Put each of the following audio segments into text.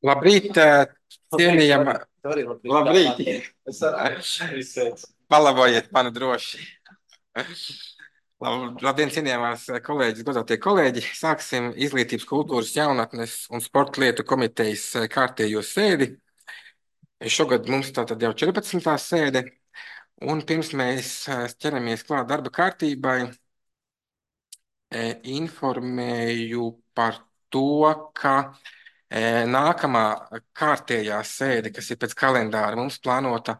Labrīt, cienījama. Labrīt. Palabojiet mani droši. Labdien, cienījamās kolēģis, godātie kolēģi. Sāksim Izglītības, kultūras, jaunatnes un sporta lietu komitejas kārtējo sēdi. Šogad mums tātad jau 14. sēde. Un pirms mēs ķeramies klāt darba kārtībai, informēju par to, ka nākamā kārtējā sēde, kas ir pēc kalendāra, mums plānota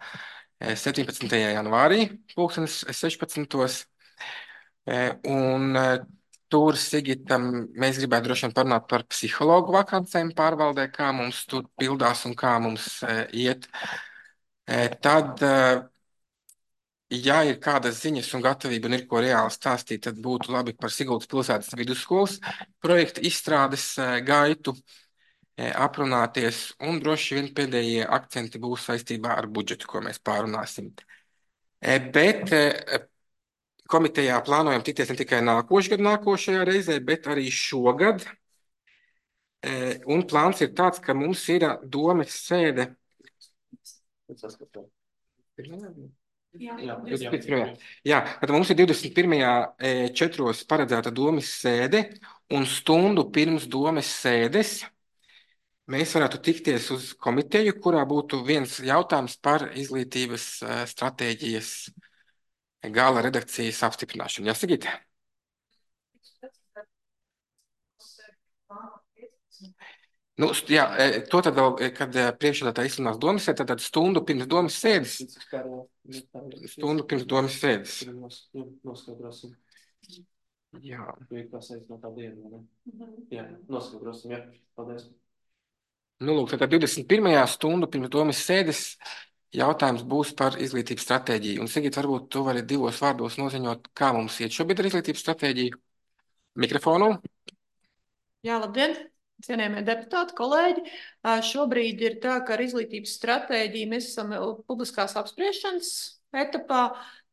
17. janvārī, 2016. Un tur, Sigita, mēs gribētu droši vien parunāt par psihologu vakancēm pārvaldē, kā mums tur pildās un kā mums iet. Tad, ja ir kādas ziņas un gatavība un ir ko reāli stāstīt, tad būtu labi par Siguldas pilsētas vidusskolas projektu izstrādes gaitu aprunāties, un droši vien pēdējie akcenti būs saistībā ar budžetu, ko mēs pārunāsim. Bet komitejā plānojam tikties ne tikai nākošajā reizē, bet arī šogad. Un plāns ir tāds, ka mums ir domes sēde. Jā, tad mums ir 21. 4. paredzēta domes sēde, un stundu pirms domes sēdes mēs varētu tikties uz komiteju, kurā būtu viens jautājums par izglītības stratēģijas gala redakcijas apstiprināšanu. Jā, Sigita? Nu, jā, to tad vēl, kad priekšsēdētāji izsludinās domas sēdi, tad stundu pirms domas sēdes. Stundu pirms domas sēdes. Noskaidrosim. Jā. Tā saistībā no tā diena, ne? Jā, noskaidrosim, jā. Paldies. Nu, lūk, tad 21. stundu pirms domas sēdes jautājums būs par izglītības stratēģiju. Un, Sigita, varbūt tu vari 2 vārdos noziņot, kā mums iet šobrīd ar izglītības stratēģiju. Mikrofonu. Jā, labdien, cienījamie deputāti, kolēģi. Šobrīd ir tā, ka ar izglītības stratēģiju mēs esam publiskās apspriešanas etapā.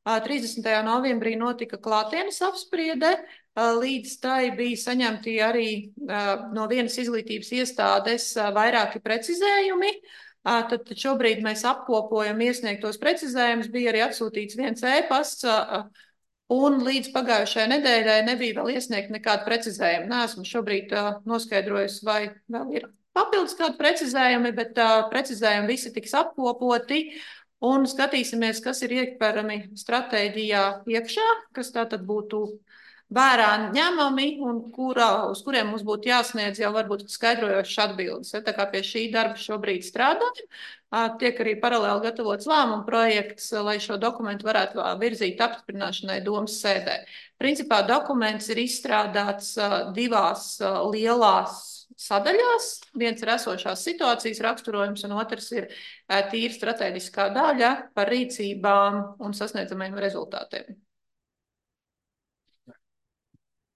30. novembrī notika klātienes apspriede. Līdz tai bija saņemti arī no vienas izglītības iestādes vairāki precizējumi. Tad šobrīd mēs apkopojam iesniegtos precizējumus. Bija arī atsūtīts viens e-pasts, un līdz pagājušajai nedēļai nebija vēl iesniegt nekādu precizējumu. Neesmu šobrīd noskaidrojusi, vai vēl ir papildus kādi precizējumi, bet precizējumi visi tiks apkopoti. Un skatīsimies, kas ir iekļauts stratēģijā iekšā, kas tātad būtu vērā ņemami un uz kuriem mums būtu jāsniedz jau varbūt skaidrojošas atbildes. Tā kā pie šī darba šobrīd strādājam, tiek arī paralēli gatavots lēmuma projekts, lai šo dokumentu varētu virzīt apstiprināšanai domas sēdē. Principā dokuments ir izstrādāts 2 lielās sadaļās. Viens ir esošās situācijas raksturojums, un otrs ir tīri strateģiskā daļa par rīcībām un sasniedzamajiem rezultātiem.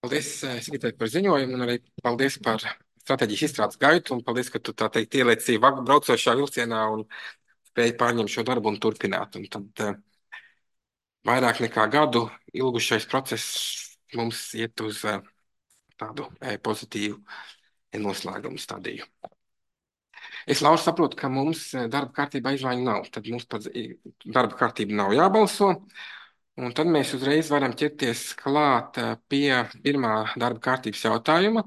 Paldies, Sigitai, par ziņojumu, un arī paldies par stratēģijas izstrādes gaitu, un paldies, ka tu tā teikt ielieci braucošā vilcienā un spēji pārņemt šo darbu un turpināt. Un tad vairāk nekā gadu ilgušais process mums iet uz tādu pozitīvu noslēgumu stadiju. Es, Laura, saprotu, ka mums darba kārtībā izmaiņu nav. Tad mums par darba kārtību nav jābalso. Un tad mēs uzreiz varam ķerties klāt pie pirmā darba kārtības jautājuma.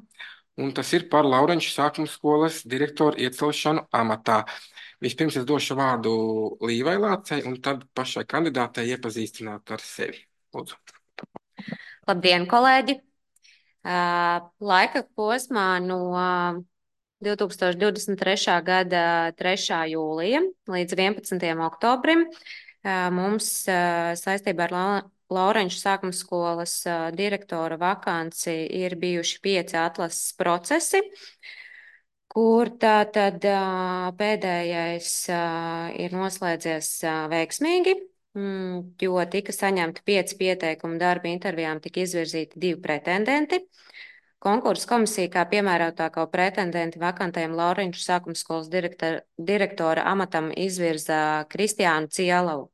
Un tas ir par Laurenču sākuma skolas direktoru iecelšanu amatā. Vispirms es došu vārdu Līvai Lācei, un tad pašai kandidātei iepazīstināt ar sevi. Lūdzu. Labdien, kolēģi! Laika posmā no 2023. gada 3. jūlija līdz 11. oktobrim mums saistībā ar Laurenču sākuma skolas direktora vakanci ir bijuši 5 atlases procesi, kur tātad pēdējais ir noslēdzies veiksmīgi, jo tika saņemti 5 pieteikumi darba intervijām, tika izvirzīti 2 pretendenti. Konkursa komisija kā piemērotāko pretendenti vakantajam Laurenču sākuma skolas direktora amatam izvirza Kristiānu Cielavu.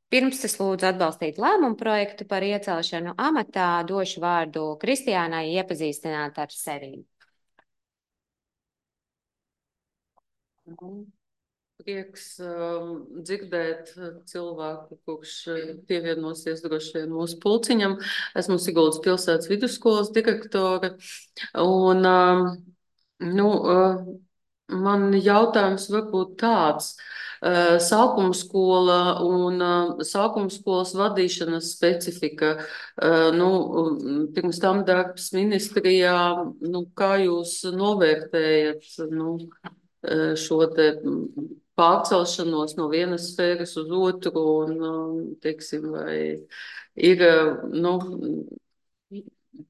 Pirms es lūdzu atbalstīt lēmumu projektu par iecelšanu amatā, došu vārdu Kristiānai iepazīstināt ar sevi. Prieks dzirdēt cilvēku, kurš pievienosies droši vien mūsu pulciņam. Esmu Siguldas pilsētas vidusskolas direktore. Un, nu, man jautājums varbūt tāds. Sākuma skola un sākuma skolas vadīšanas specifika. Nu, pirms tam darbs ministrijā, nu, kā jūs novērtējat, nu, šo te pārcelšanos no vienas sfēras uz otru un, teiksim, vai ir, nu,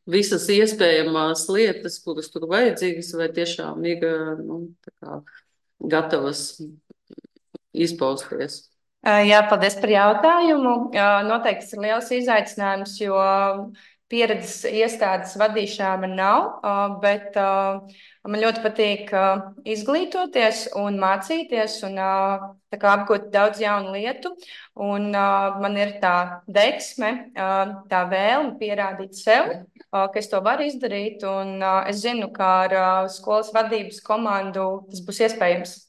visas iespējamās lietas, kuras tur vajadzīgas, vai tiešām ir, nu, tā kā gatavas izpausties. Jā, paldies par jautājumu. Noteikti tas ir liels izaicinājums, jo pieredzes iestādes vadīšanā man nav, bet man ļoti patīk izglītoties un mācīties un tā kā apgūt daudz jaunu lietu. Un man ir tā deksme, tā vēlme pierādīt sev, ka es to varu izdarīt. Un es zinu, ka ar skolas vadības komandu tas būs iespējams.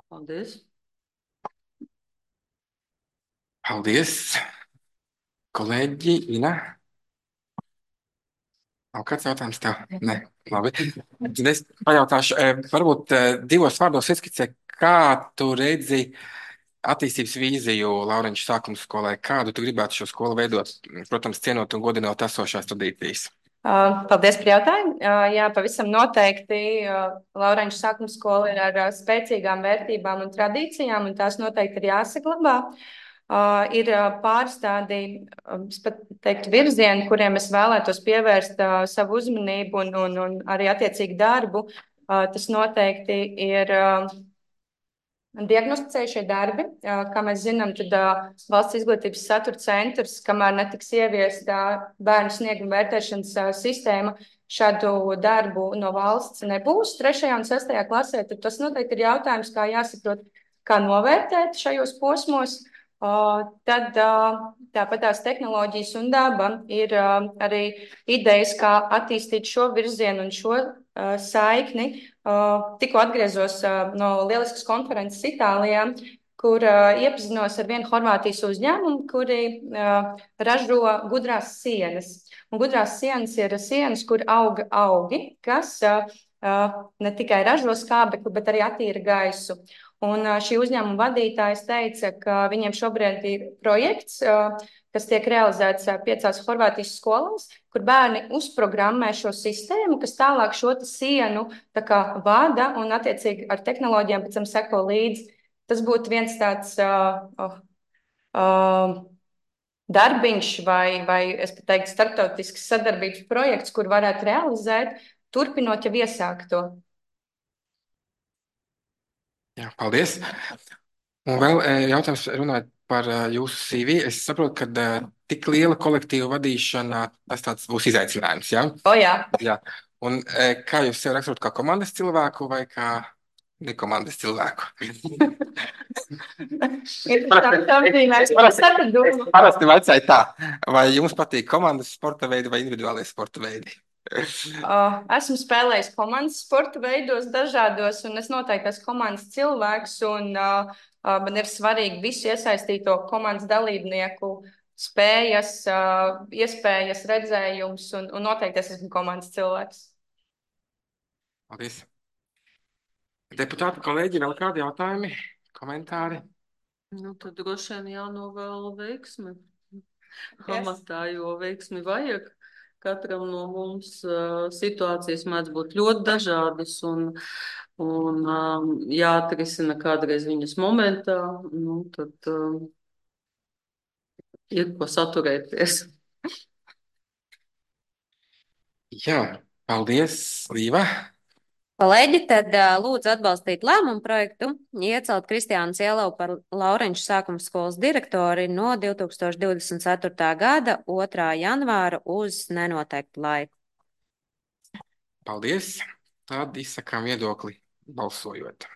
Paldies. Paldies, kolēģi Ina. Nav kāds jautājums tev? Nē, labi. Tad es pajautāšu, varbūt divos vārdos ieskicē, kā tu redzi attīstības vīziju Laurenča sākuma skolai, kādu tu gribētu šo skolu veidot, protams, cienot un godinot esošās tradīcijas. Paldies par jautājumu. Jā, pavisam noteikti Laurenča sākuma skola ir ar spēcīgām vērtībām un tradīcijām, un tās noteikti ir jāsaglabā. Ir pāris tādi, es pat teiktu, virzieni, kuriem es vēlētos pievērst savu uzmanību un arī attiecīgi darbu. Tas noteikti ir diagnosticējušie darbi. Kā mēs zinām, tad valsts izglītības satura centrs, kamēr netiks ieviesta bērnu snieguma vērtēšanas sistēma, šādu darbu no valsts nebūs 3. un 6. klasē, tad tas noteikti ir jautājums, kā jāsaprot, kā novērtēt šajos posmos. Tad tāpat tās tehnoloģijas un daba ir arī idejas, kā attīstīt šo virzienu un šo saikni. Tikko atgriezos no lieliskas konferences Itālijā, kur iepazinos ar vienu Horvātijas uzņēmumu, kuri ražo gudrās sienas. Un gudrās sienas ir sienas, kur auga augi, kas ne tikai ražo skābekli, bet arī attīra gaisu. Un šī uzņēmuma vadītājs teica, ka viņiem šobrīd ir projekts, kas tiek realizēts 5 Horvātijas skolās, kur bērni uzprogrammē šo sistēmu, kas tālāk šo sienu tā kā vada un attiecīgi ar tehnoloģijām pēc tam seko līdzi. Tas būtu viens tāds darbiņš vai es pat teiktu starptautisks sadarbības projekts, kur varētu realizēt, turpinot jau iesākto. Jā, paldies. Un vēl jautājums runājot par jūsu CV. Es saprotu, ka tik liela kolektīva vadīšana, tas tāds būs izaicinājums, jā? Jā. Jā. Un kā jūs sev raksturot, kā komandas cilvēku vai kā nekomandas cilvēku? Parasti vecāji tā. Vai jums patīk komandas sporta veidi vai individuālie sporta veidi? Esmu spēlējis komandas sporta veidos dažādos, un es noteikti esmu komandas cilvēks, un man ir svarīgi visu iesaistīto komandas dalībnieku spējas, iespējas, redzējums, un noteikti es esmu komandas cilvēks. Paldies. Deputāti, kolēģi, vēl kādi jautājumi, komentāri? Nu, tad droši vien jānovēl veiksmi amatā, jo veiksmi vajag. Katram no mums situācijas mēdz būt ļoti dažādas un jāatrisina kādreiz viņas momentā, nu, tad ir ko saturēties. Jā, paldies, Līva. Kolēģi, tad lūdzu atbalstīt lēmumu projektu, iecelt Kristiānu Cielavu par Laurenča sākuma skolas direktori no 2024. gada 2. janvāra uz nenoteiktu laiku. Paldies. Tad izsakām viedokli balsojot.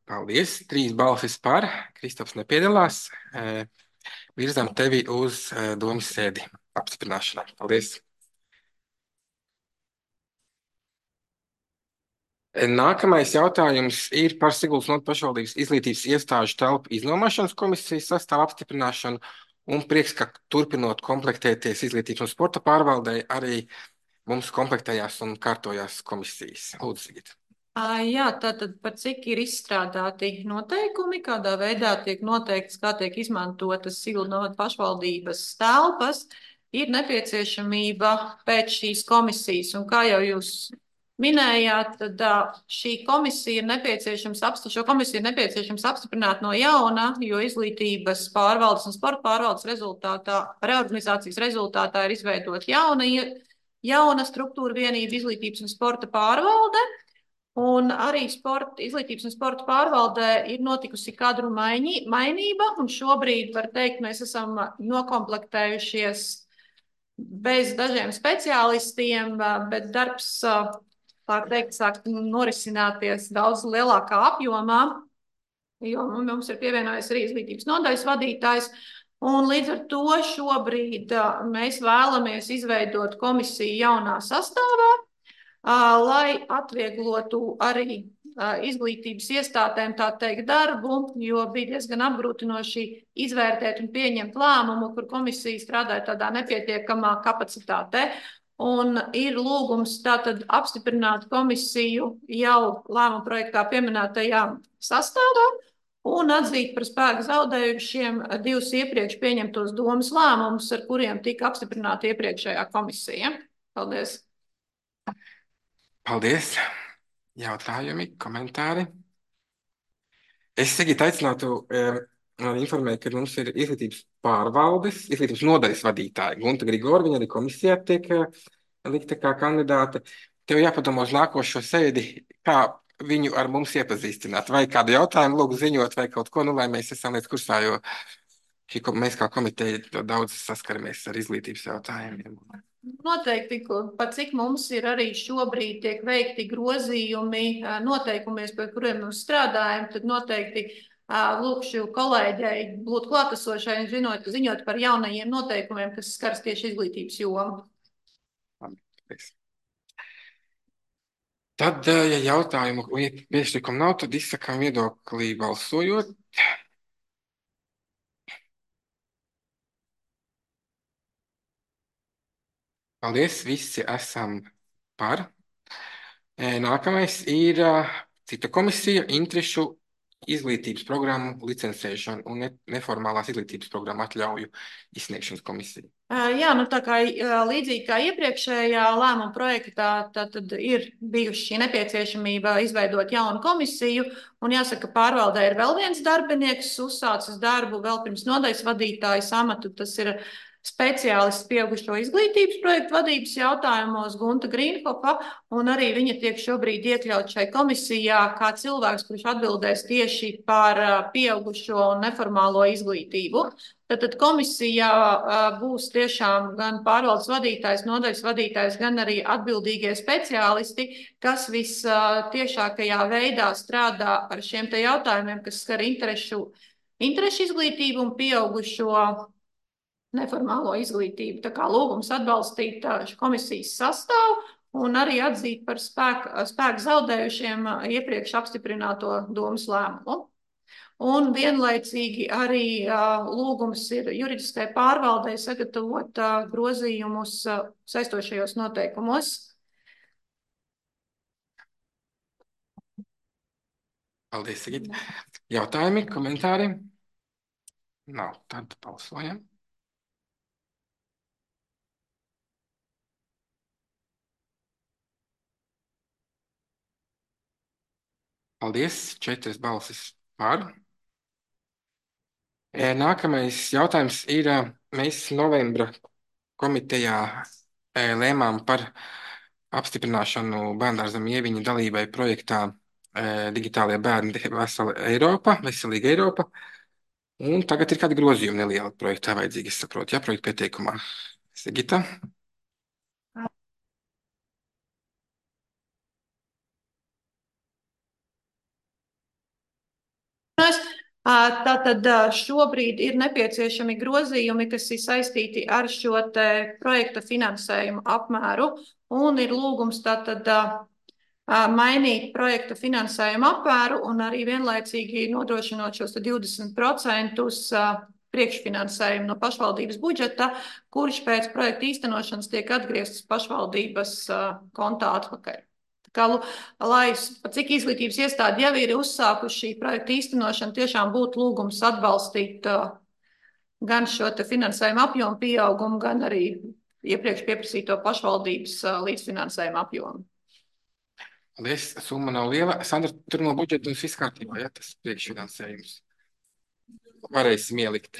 Paldies. 3 balsis par. Kristofs nepiedalās. Virzām tevi uz domas sēdi apstiprināšanai. Paldies. Nākamais jautājums ir par Siguldas novads pašvaldības izglītības iestāžu telpu iznomāšanas komisijas sastāvu apstiprināšanu. Un prieks, ka turpinot komplektēties izglītības un sporta pārvaldei, arī mums komplektējās un kārtojās komisijas. Lūdzu, Sigita. Jā, tātad par cik ir izstrādāti noteikumi, kādā veidā tiek noteikts, kā tiek izmantotas Siguldas novads pašvaldības telpas, ir nepieciešamība pēc šīs komisijas. Un kā jau jūs minējāt, tad šī komisija ir nepieciešams apstiprināt no jauna, jo izglītības pārvaldes un sporta pārvaldes reorganizācijas rezultātā ir izveidot jauna struktūra vienība izglītības un sporta pārvalde. Un arī izglītības un sporta pārvaldē ir notikusi kadru mainība, un šobrīd, var teikt, mēs esam nokomplektējušies bez dažiem speciālistiem, bet darbs, tā teikt, sāk norisināties daudz lielākā apjomā, jo mums ir pievienojies arī izglītības nodaļas vadītājs, un līdz ar to šobrīd mēs vēlamies izveidot komisiju jaunā sastāvā, lai atvieglotu arī izglītības iestādēm, tā teikt, darbu, jo bija diezgan apgrūtinoši izvērtēt un pieņemt lēmumu, kur komisija strādāja tādā nepietiekamā kapacitātē. Un ir lūgums tātad apstiprināt komisiju jau lēmuma projektā pieminētajā sastāvā un atzīt par spēku zaudējušiem 2 iepriekš pieņemtos domas lēmumus, ar kuriem tika apstiprināta iepriekšējā komisija. Paldies! Paldies! Jautājumi, komentāri? Es Sigita aicinātu informēt, ka mums ir izglītības nodaļas vadītāja Gunta Grigora, viņa arī komisijā tiek likta kā kandidāte. Tev jāpadomā uz nākošo sēdi, kā viņu ar mums iepazīstināt, vai kādu jautājumu lūgu ziņot, vai kaut ko, lai mēs esam līdz kursā, jo mēs kā komiteja daudz saskaramies ar izglītības jautājumiem. Noteikti, pat cik mums ir arī šobrīd tiek veikti grozījumi noteikumiem, pie kuriem mēs strādājam, tad noteikti lūkšu kolēģei būt klātesošai un ziņot par jaunajiem noteikumiem, kas skars tieši izglītības jomu. Tad, ja jautājumu priekšlikumu nav, tad izsakām viedoklī balsojot. Paldies, visi esam par. Nākamais ir cita komisija, interešu izglītības programmu licencēšana un neformālās izglītības programmu atļauju izsniegšanas komisija. Jā, tā kā līdzīgi kā iepriekšējā lēmuma projektā, tad ir bijuši šī nepieciešamība izveidot jaunu komisiju, un jāsaka, pārvaldē ir vēl viens darbinieks, uzsācis darbu vēl pirms nodaļas vadītājas amatu, tas ir speciālists pieaugušo izglītības projektu vadības jautājumos Gunta Grīnhofa, un arī viņa tiek šobrīd iekļaut šai komisijā kā cilvēks, kurš atbildēs tieši par pieaugušo un neformālo izglītību. Tad komisijā būs tiešām gan pārvaldes vadītājs, nodaļas vadītājs, gan arī atbildīgie speciālisti, kas vistiešākajā veidā strādā ar šiem te jautājumiem, kas skar interešu izglītību un pieaugušo neformālo izglītību. Tā kā lūgums atbalstīt komisijas sastāvu un arī atzīt par spēku zaudējušiem iepriekš apstiprināto domas lēmumu. Un vienlaicīgi arī lūgums ir juridiskai pārvaldei sagatavot grozījumus saistošajos noteikumos. Paldies, Sigita. Jautājumi, komentāri? Nav, tad balsojam. Paldies, 4 balsis par. Nākamais jautājums ir, mēs novembra komitejā lēmām par apstiprināšanu Bērndārzam Ieviņa dalībai projektā Digitālie bērni Veselīga Eiropa. Un tagad ir kādi grozījumi nelieli projektā vajadzīgi, es saprotu, ja projekta pieteikumā. Sigita? Tātad šobrīd ir nepieciešami grozījumi, kas ir saistīti ar šo te projekta finansējumu apmēru, un ir lūgums tātad mainīt projekta finansējumu apmēru un arī vienlaicīgi nodrošinot šos 20% priekšfinansējumu no pašvaldības budžeta, kurš pēc projekta īstenošanas tiek atgrieztas pašvaldības kontā atpakaļ. Lai cik izglītības iestādi jau ir uzsākuši šī projekta īstenošanu, tiešām būtu lūgums atbalstīt gan šo te finansējumu apjomu pieaugumu, gan arī iepriekš pieprasīto pašvaldības līdzfinansējumu apjomu. Paldies, summa nav liela. Sandra, tur no budžeta un viss kārtībā, ja tas priekšfinansējums. Varēsim ielikt.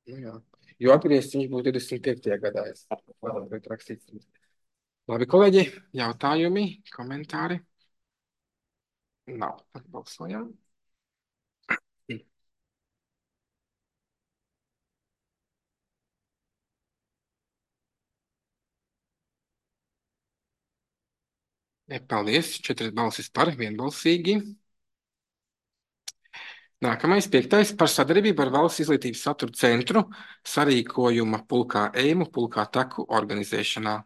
Nu jā. Jo atgriezts viņš būs 25. gadā. Labi, kolēģi, jautājumi, komentāri? Nav. Balsojam. Paldies. 4 balsis par, vienbalsīgi. Nākamais 5. par sadarbību ar Valsts izglītības satura centru sarīkojuma pulkā Eimu, pulkā Taku organizēšanā.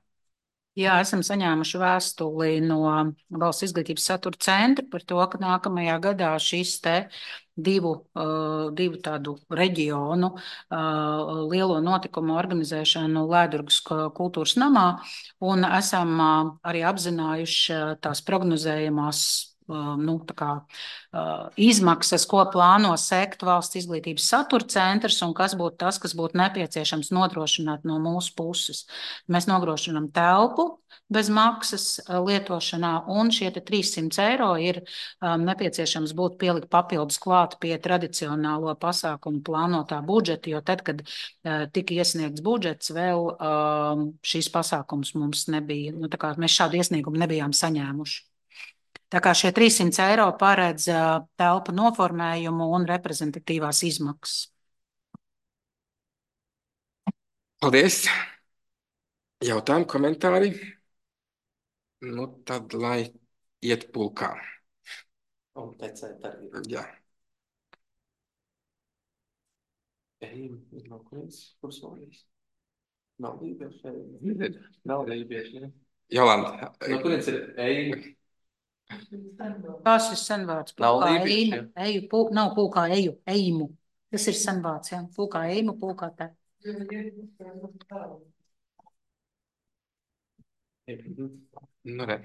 Jā, esam saņēmuši vēstuli no Valsts izglītības satura centra par to, ka nākamajā gadā šis te divu tādu reģionu lielo notikumu organizēšanu Lēdurgas kultūras namā, un esam arī apzinājuši tās prognozējamās izmaksas, ko plāno sekt Valsts izglītības satura centrs un kas būtu tas, kas būtu nepieciešams nodrošināt no mūsu puses. Mēs nodrošinām telpu bez maksas lietošanā, un šie 300 eiro ir nepieciešams būtu pielikt papildus klāt pie tradicionālo pasākumu plānotā budžeta, jo tad, kad tika iesniegts budžets, vēl šīs pasākums mums nebija, mēs šādu iesniegumu nebijām saņēmuši. Tā kā šie 300 eiro paredz telpu noformējumu un reprezentatīvās izmaksas. Paldies. Jautājumi, komentāri? Nu, tad, lai iet pulkā. Un tecēt arī. Jā. Nav kurienes kursolīs? Nav lībieši. Nav lībieši, ne? Jolanta. No kurienes ir Eima? Tas ir senvārds. Nav lībieši, Eju, nav pulkā eju, eimu. Tas ir senvārds, jā. Pulkā eimu, pulkā te. Nu, re.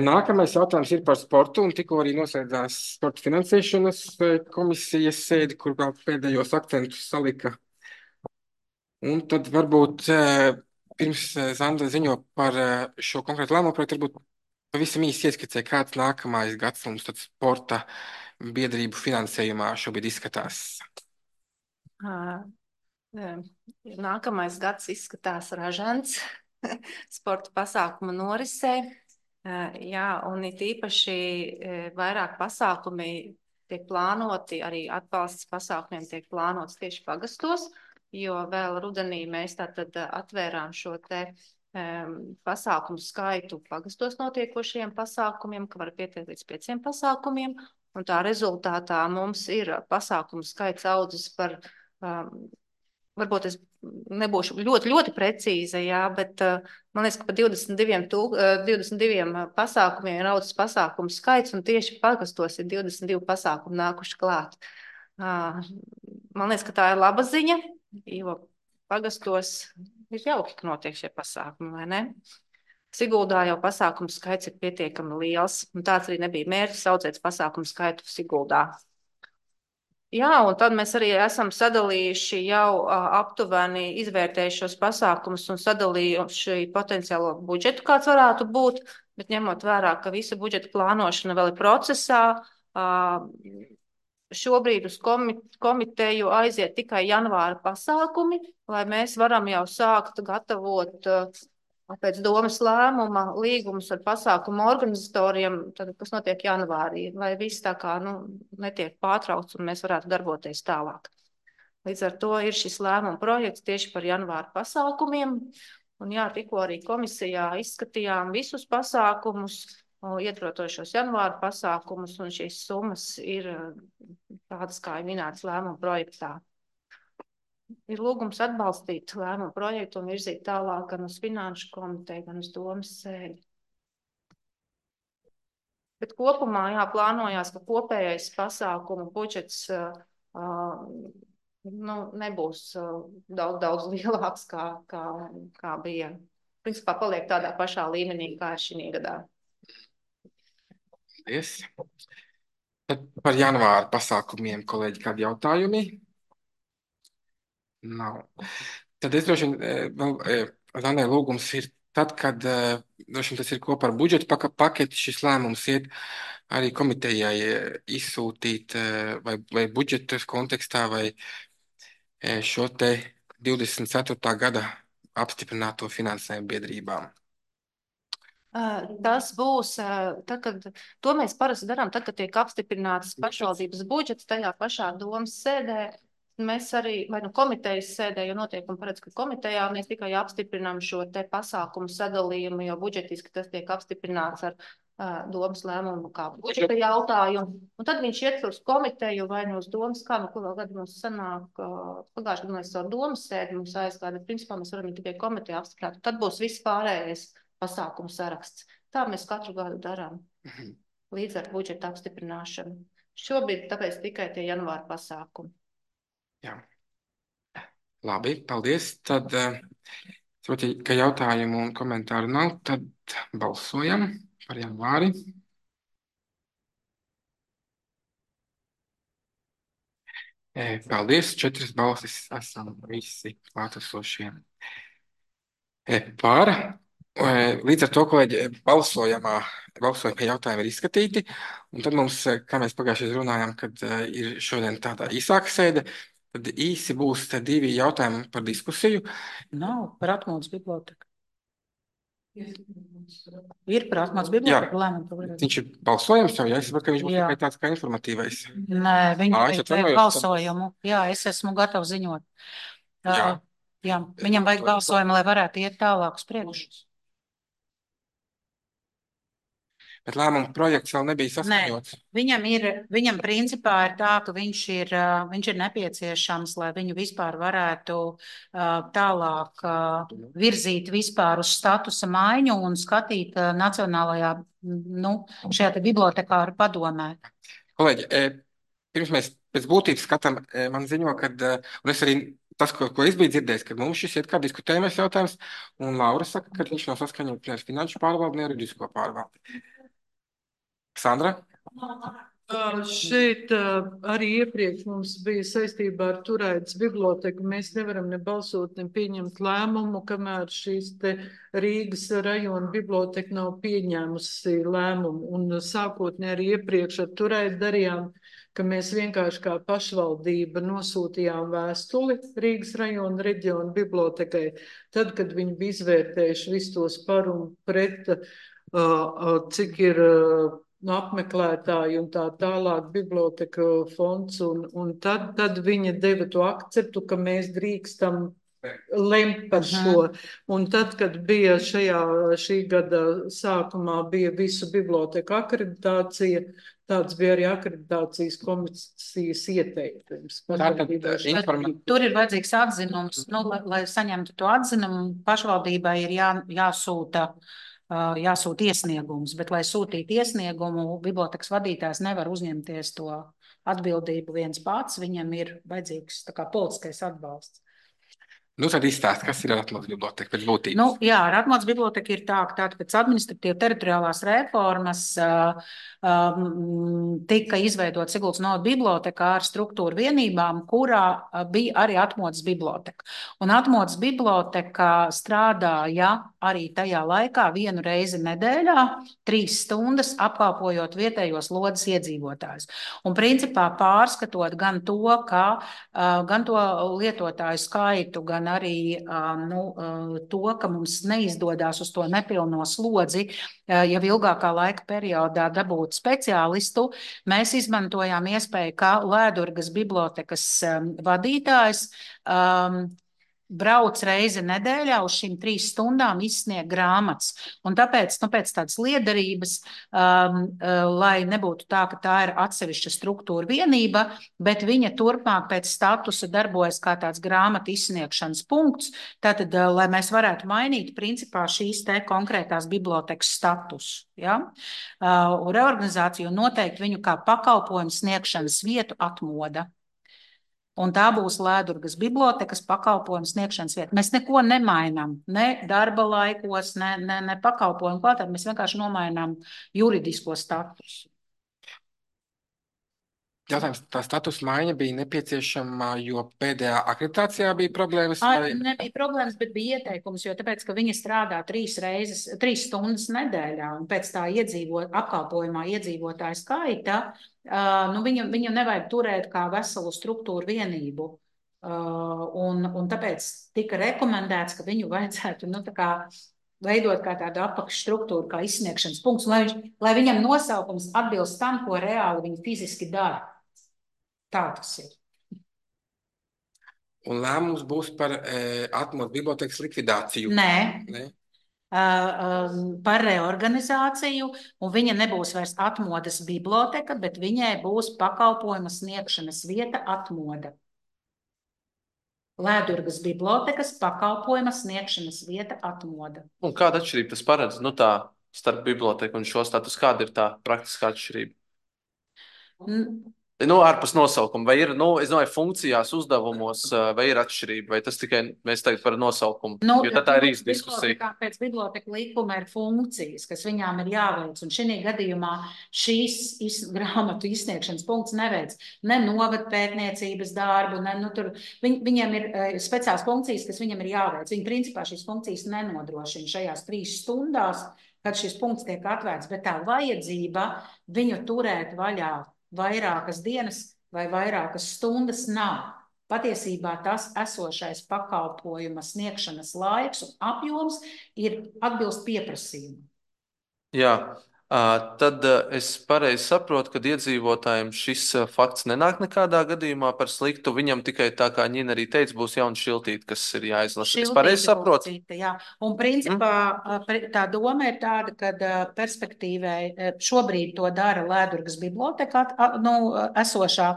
Nākamais jautājums ir par sportu, un tikko arī noslēdzās sporta finansēšanas komisijas sēdi, kur vēl pēdējos akcentus salika. Un tad varbūt pirms Zanda ziņo par šo konkrētu lēmumu projektu, varbūt pavisam īsi ieskicē, kāds nākamais gads mums tad sporta biedrību finansējumā šobrīd izskatās. Nākamais gads izskatās ražants sporta pasākuma norisē. Jā, un it īpaši vairāk pasākumi tiek plānoti, arī atbalsts pasākumiem tiek plānots tieši pagastos, jo vēl rudenī mēs tātad atvērām šo te pasākumu skaitu pagastos notiekošajiem pasākumiem, ka var pieteikt līdz 5 pasākumiem, un tā rezultātā mums ir pasākumu skaits audzis par, varbūt es nebūšu ļoti precīza, jā, bet man liekas, ka par 22 pasākumiem ir audzis pasākumu skaits, un tieši pagastos ir 22 pasākumu nākuši klāt. Man liekas, ka tā ir laba ziņa, jo pagastos ir jauki, ka notiek šie pasākumi, vai ne? Siguldā jau pasākumu skaits ir pietiekami liels, un tāds arī nebija mērķis audzēt pasākumu skaitu Siguldā. Jā, un tad mēs arī esam sadalījuši jau aptuveni izvērtējuši šos pasākumus un sadalījuši potenciālo budžetu, kāds varētu būt, bet ņemot vērā, ka visa budžeta plānošana vēl ir procesā, šobrīd uz komiteju aiziet tikai janvāra pasākumi, lai mēs varam jau sākt gatavot pēc domas lēmuma līgumus ar pasākumu organizatoriem, tad, kas notiek janvārī, lai viss tā kā netiek pārtraukts un mēs varētu darboties tālāk. Līdz ar to ir šis lēmuma projekts tieši par janvāra pasākumiem, Un jā, tikko arī komisijā izskatījām visus pasākumus, ietvarošos janvāra pasākumus, un šīs summas ir tādas, kā ir minētas lēmuma projektā. Ir lūgums atbalstīt lēmumu projektu un virzīt tālāk gan uz finanšu komiteju, gan uz domas sēdi. Bet kopumā, jā, plānojās, ka kopējais pasākumu budžets nebūs daudz lielāks, kā bija. Principā paliek tādā pašā līmenī, kā ir šī gadā. Paldies. Par janvāra pasākumiem, kolēģi, kādi jautājumi? Nav. Tad es droši vien vēl, Zanē, lūgums ir tad, kad droši vien tas ir kopā ar budžeta paketi, šis lēmums iet arī komitejai izsūtīt vai budžeta kontekstā vai šo te 24. gada apstiprināto finansējumu biedrībām. Tas būs, to mēs parasti darām, tad, kad tiek apstiprināts pašvaldības budžets tajā pašā domas sēdē. Mēs arī, vai komitejas sēdē, jo noteikumi paredz, ka komitejā mēs tikai apstiprinām šo te pasākumu sadalījumu, jo budžetiski tas tiek apstiprināts ar domas lēmumu kā budžeta jautājumu. Un tad viņš iet uz komiteju vai uz domas, kā kurā gadu mums sanāk, pagājušajā gadā mēs ar domas sēdi mums aizgāja, principā mēs varam tikai komiteju apstiprināt. Tad būs viss pārējais pasākumu saraksts. Tā mēs katru gadu darām līdz ar budžeta apstiprināšanu. Šobrīd tāpēc tikai tie janvāra pasākumi. Jā. Labi, paldies. Tad, ka jautājumu un komentāru nav, tad balsojam par janvāri. Paldies, 4 balsis esam visi klātesošie par. Līdz ar to, kolēģi, balsojumie jautājumi ir izskatīti, un tad mums, kā mēs pagājušajā runājām, kad ir šodien tāda īsāka sēde, tad īsi būs 2 jautājumi par diskusiju. Nav par Atmodas biblioteku. Ir par Atmodas biblioteku lēmumu. Viņš ir balsojums jau, ja es saprotu, ka viņš būs tikai tāds kā informatīvais. Nē, viņš vajag balsojumu. Jā, es esmu gatava ziņot. Jā, viņam vajag balsojumu, lai varētu iet tālāk uz priekšu. Bet lēmuma projekts vēl nebija saskaņots. Viņam principā ir tā, ka viņš ir nepieciešams, lai viņu vispār varētu tālāk virzīt vispār uz statusa maiņu un skatīt nacionālajā, šajā te bibliotekāru padomē. Kolēģi, pirms mēs pēc būtības skatām, man ziņo, kad, un es arī tas, ko es biju dzirdējis, kad mums šis iet kā diskutējumais jautājums, un Laura saka, ka viņš nav saskaņots ar finanšu pārvaldi, ne juridisko pārvaldi. Sandra? Šeit arī iepriekš mums bija saistībā ar Turaidas biblioteku. Mēs nevaram ne balsot, ne pieņemt lēmumu, kamēr šīs te Rīgas rajona biblioteka nav pieņēmusi lēmumu. Un sākotnēji arī iepriekš ar Turaidu darījām, ka mēs vienkārši kā pašvaldība nosūtījām vēstuli Rīgas rajona reģiona bibliotekai. Tad, kad viņi bija izvērtējuši visus tos par un pret, cik ir apmeklētāji un tā tālāk biblioteka fonds, un tad viņa deva to akceptu, ka mēs drīkstam lemt par šo. Un tad, kad bija šī gada sākumā bija visu biblioteku akreditācija, tāds bija arī akreditācijas komisijas ieteikums. Tur ir vajadzīgs atzinums, lai saņemtu to atzinumu, pašvaldībai ir jāsūta iesniegums, bet, lai sūtītu iesniegumu, bibliotekas vadītājs nevar uzņemties to atbildību viens pats, viņam ir vajadzīgs tā kā politiskais atbalsts. Tad izstāst, kas ir Atmodas biblioteka pēc būtības? Jā, ar Atmodas biblioteka ir tā, ka pēc administratīva teritoriālās reformas tika izveidot Siguldas novada biblioteka ar struktūru vienībām, kurā bija arī Atmodas biblioteka. Un Atmodas biblioteka strādāja arī tajā laikā 1 reizi nedēļā, 3 stundas apkalpojot vietējos Lodes iedzīvotājus. Un principā pārskatot gan to lietotāju skaitu, gan arī to, ka mums neizdodas uz to nepilno slodzi, jau ilgākā laika periodā dabūt speciālistu, mēs izmantojām iespēju, kā Lēdurgas bibliotekas vadītājs brauc reizi nedēļā uz šīm 3 stundām izsniegt grāmatas. Un tāpēc, pēc tādas liederības, lai nebūtu tā, ka tā ir atsevišķa struktūra vienība, bet viņa turpmāk pēc statusa darbojas kā tāds grāmatu izsniegšanas punkts, tātad, lai mēs varētu mainīt principā šīs te konkrētās bibliotekas statusu. Ja? Reorganizāciju noteikt viņu kā pakalpojumu sniegšanas vietu atmoda. Un tā būs Lēdurgas bibliotekas pakalpojumu sniegšanas vieta. Mēs neko nemainām, ne darba laikos, ne pakalpojumu kvalitāti. Mēs vienkārši nomainām juridisko statusu. Jautājums, tā statusa maiņa bija nepieciešama, jo pēdējā akreditācijā bija problēmas? Nebija problēmas, bet bija ieteikums, jo tāpēc, ka viņa strādā 3 stundas nedēļā, un pēc tā apkalpojumā iedzīvotāju skaita, viņu nevajag turēt kā veselu struktūru vienību. Un tāpēc tika rekomendēts, ka viņu vajadzētu, veidot kā tādu apakšstruktūru, kā izsniegšanas punkts, lai viņam nosaukums atbilst tam, ko reāli viņi fiziski dara. Tā tas ir. Un lēmums būs par atmodu bibliotekas likvidāciju? Nē. Par reorganizāciju, un viņa nebūs vairs atmodas biblioteka, bet viņai būs pakalpojuma sniegšanas vieta atmoda. Lēdurgas bibliotekas pakalpojuma sniegšanas vieta atmoda. Un kāda atšķirība tas paredz? Tā starp biblioteku un šo status, kāda ir tā praktiskā atšķirība? Ārpus nosaukuma, vai ir, es domāju, funkcijās, uzdevumos, vai ir atšķirība, vai tas tikai mēs tagad par nosaukumu, jo tad tā ir īsta diskusija. Pēc biblioteka likuma ir funkcijas, kas viņām ir jāveic, un šī gadījumā šīs grāmatu izsniegšanas punkts neveic ne novadpētniecības darbu, viņiem ir speciāls funkcijas, kas viņam ir jāveic. Viņi principā šīs funkcijas nenodrošina šajās 3 stundās, kad šis punkts tiek atvērts, bet tā vajadzība viņu turēt vaļā vairākas dienas vai vairākas stundas nav. Patiesībā tas esošais pakalpojuma sniegšanas laiks un apjoms ir atbilst pieprasījumam. Jā, tad es pareizi saprotu, ka iedzīvotājiem šis fakts nenāk nekādā gadījumā par sliktu. Viņam tikai tā, kā Ņina arī teica, būs jauna šiltīte, kas ir jāizlasa. Es pareizi saprotu? Jā. Un principā tā doma ir tāda, ka perspektīvai šobrīd to dara Lēdurgas biblioteka, esošā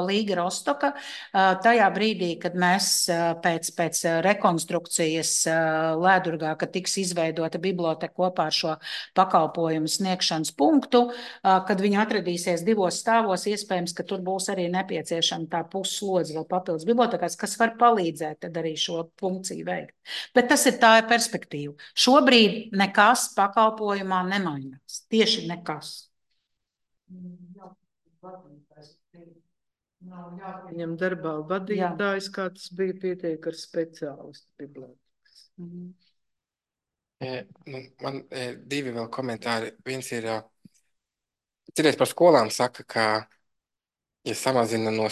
Līga Rostoka. Tajā brīdī, kad mēs pēc rekonstrukcijas Lēdurgā, kad tiks izveidota biblioteka kopā ar šo pakalpojumu sniegšanas punktu, kad viņi atradīsies 2 stāvos, iespējams, ka tur būs arī nepieciešama tā pusslodze vēl papildus bibliotekās, kas var palīdzēt tad arī šo funkciju veikt. Bet tā ir perspektīva. Šobrīd nekas pakalpojumā nemainās. Tieši nekas. Viņam darbā vadītājs, kā tas bija, pietiek ar speciālistu bibliotekas. Man 2 vēl komentāri. Viens ir, citreiz par skolām saka, ka, ja samazina no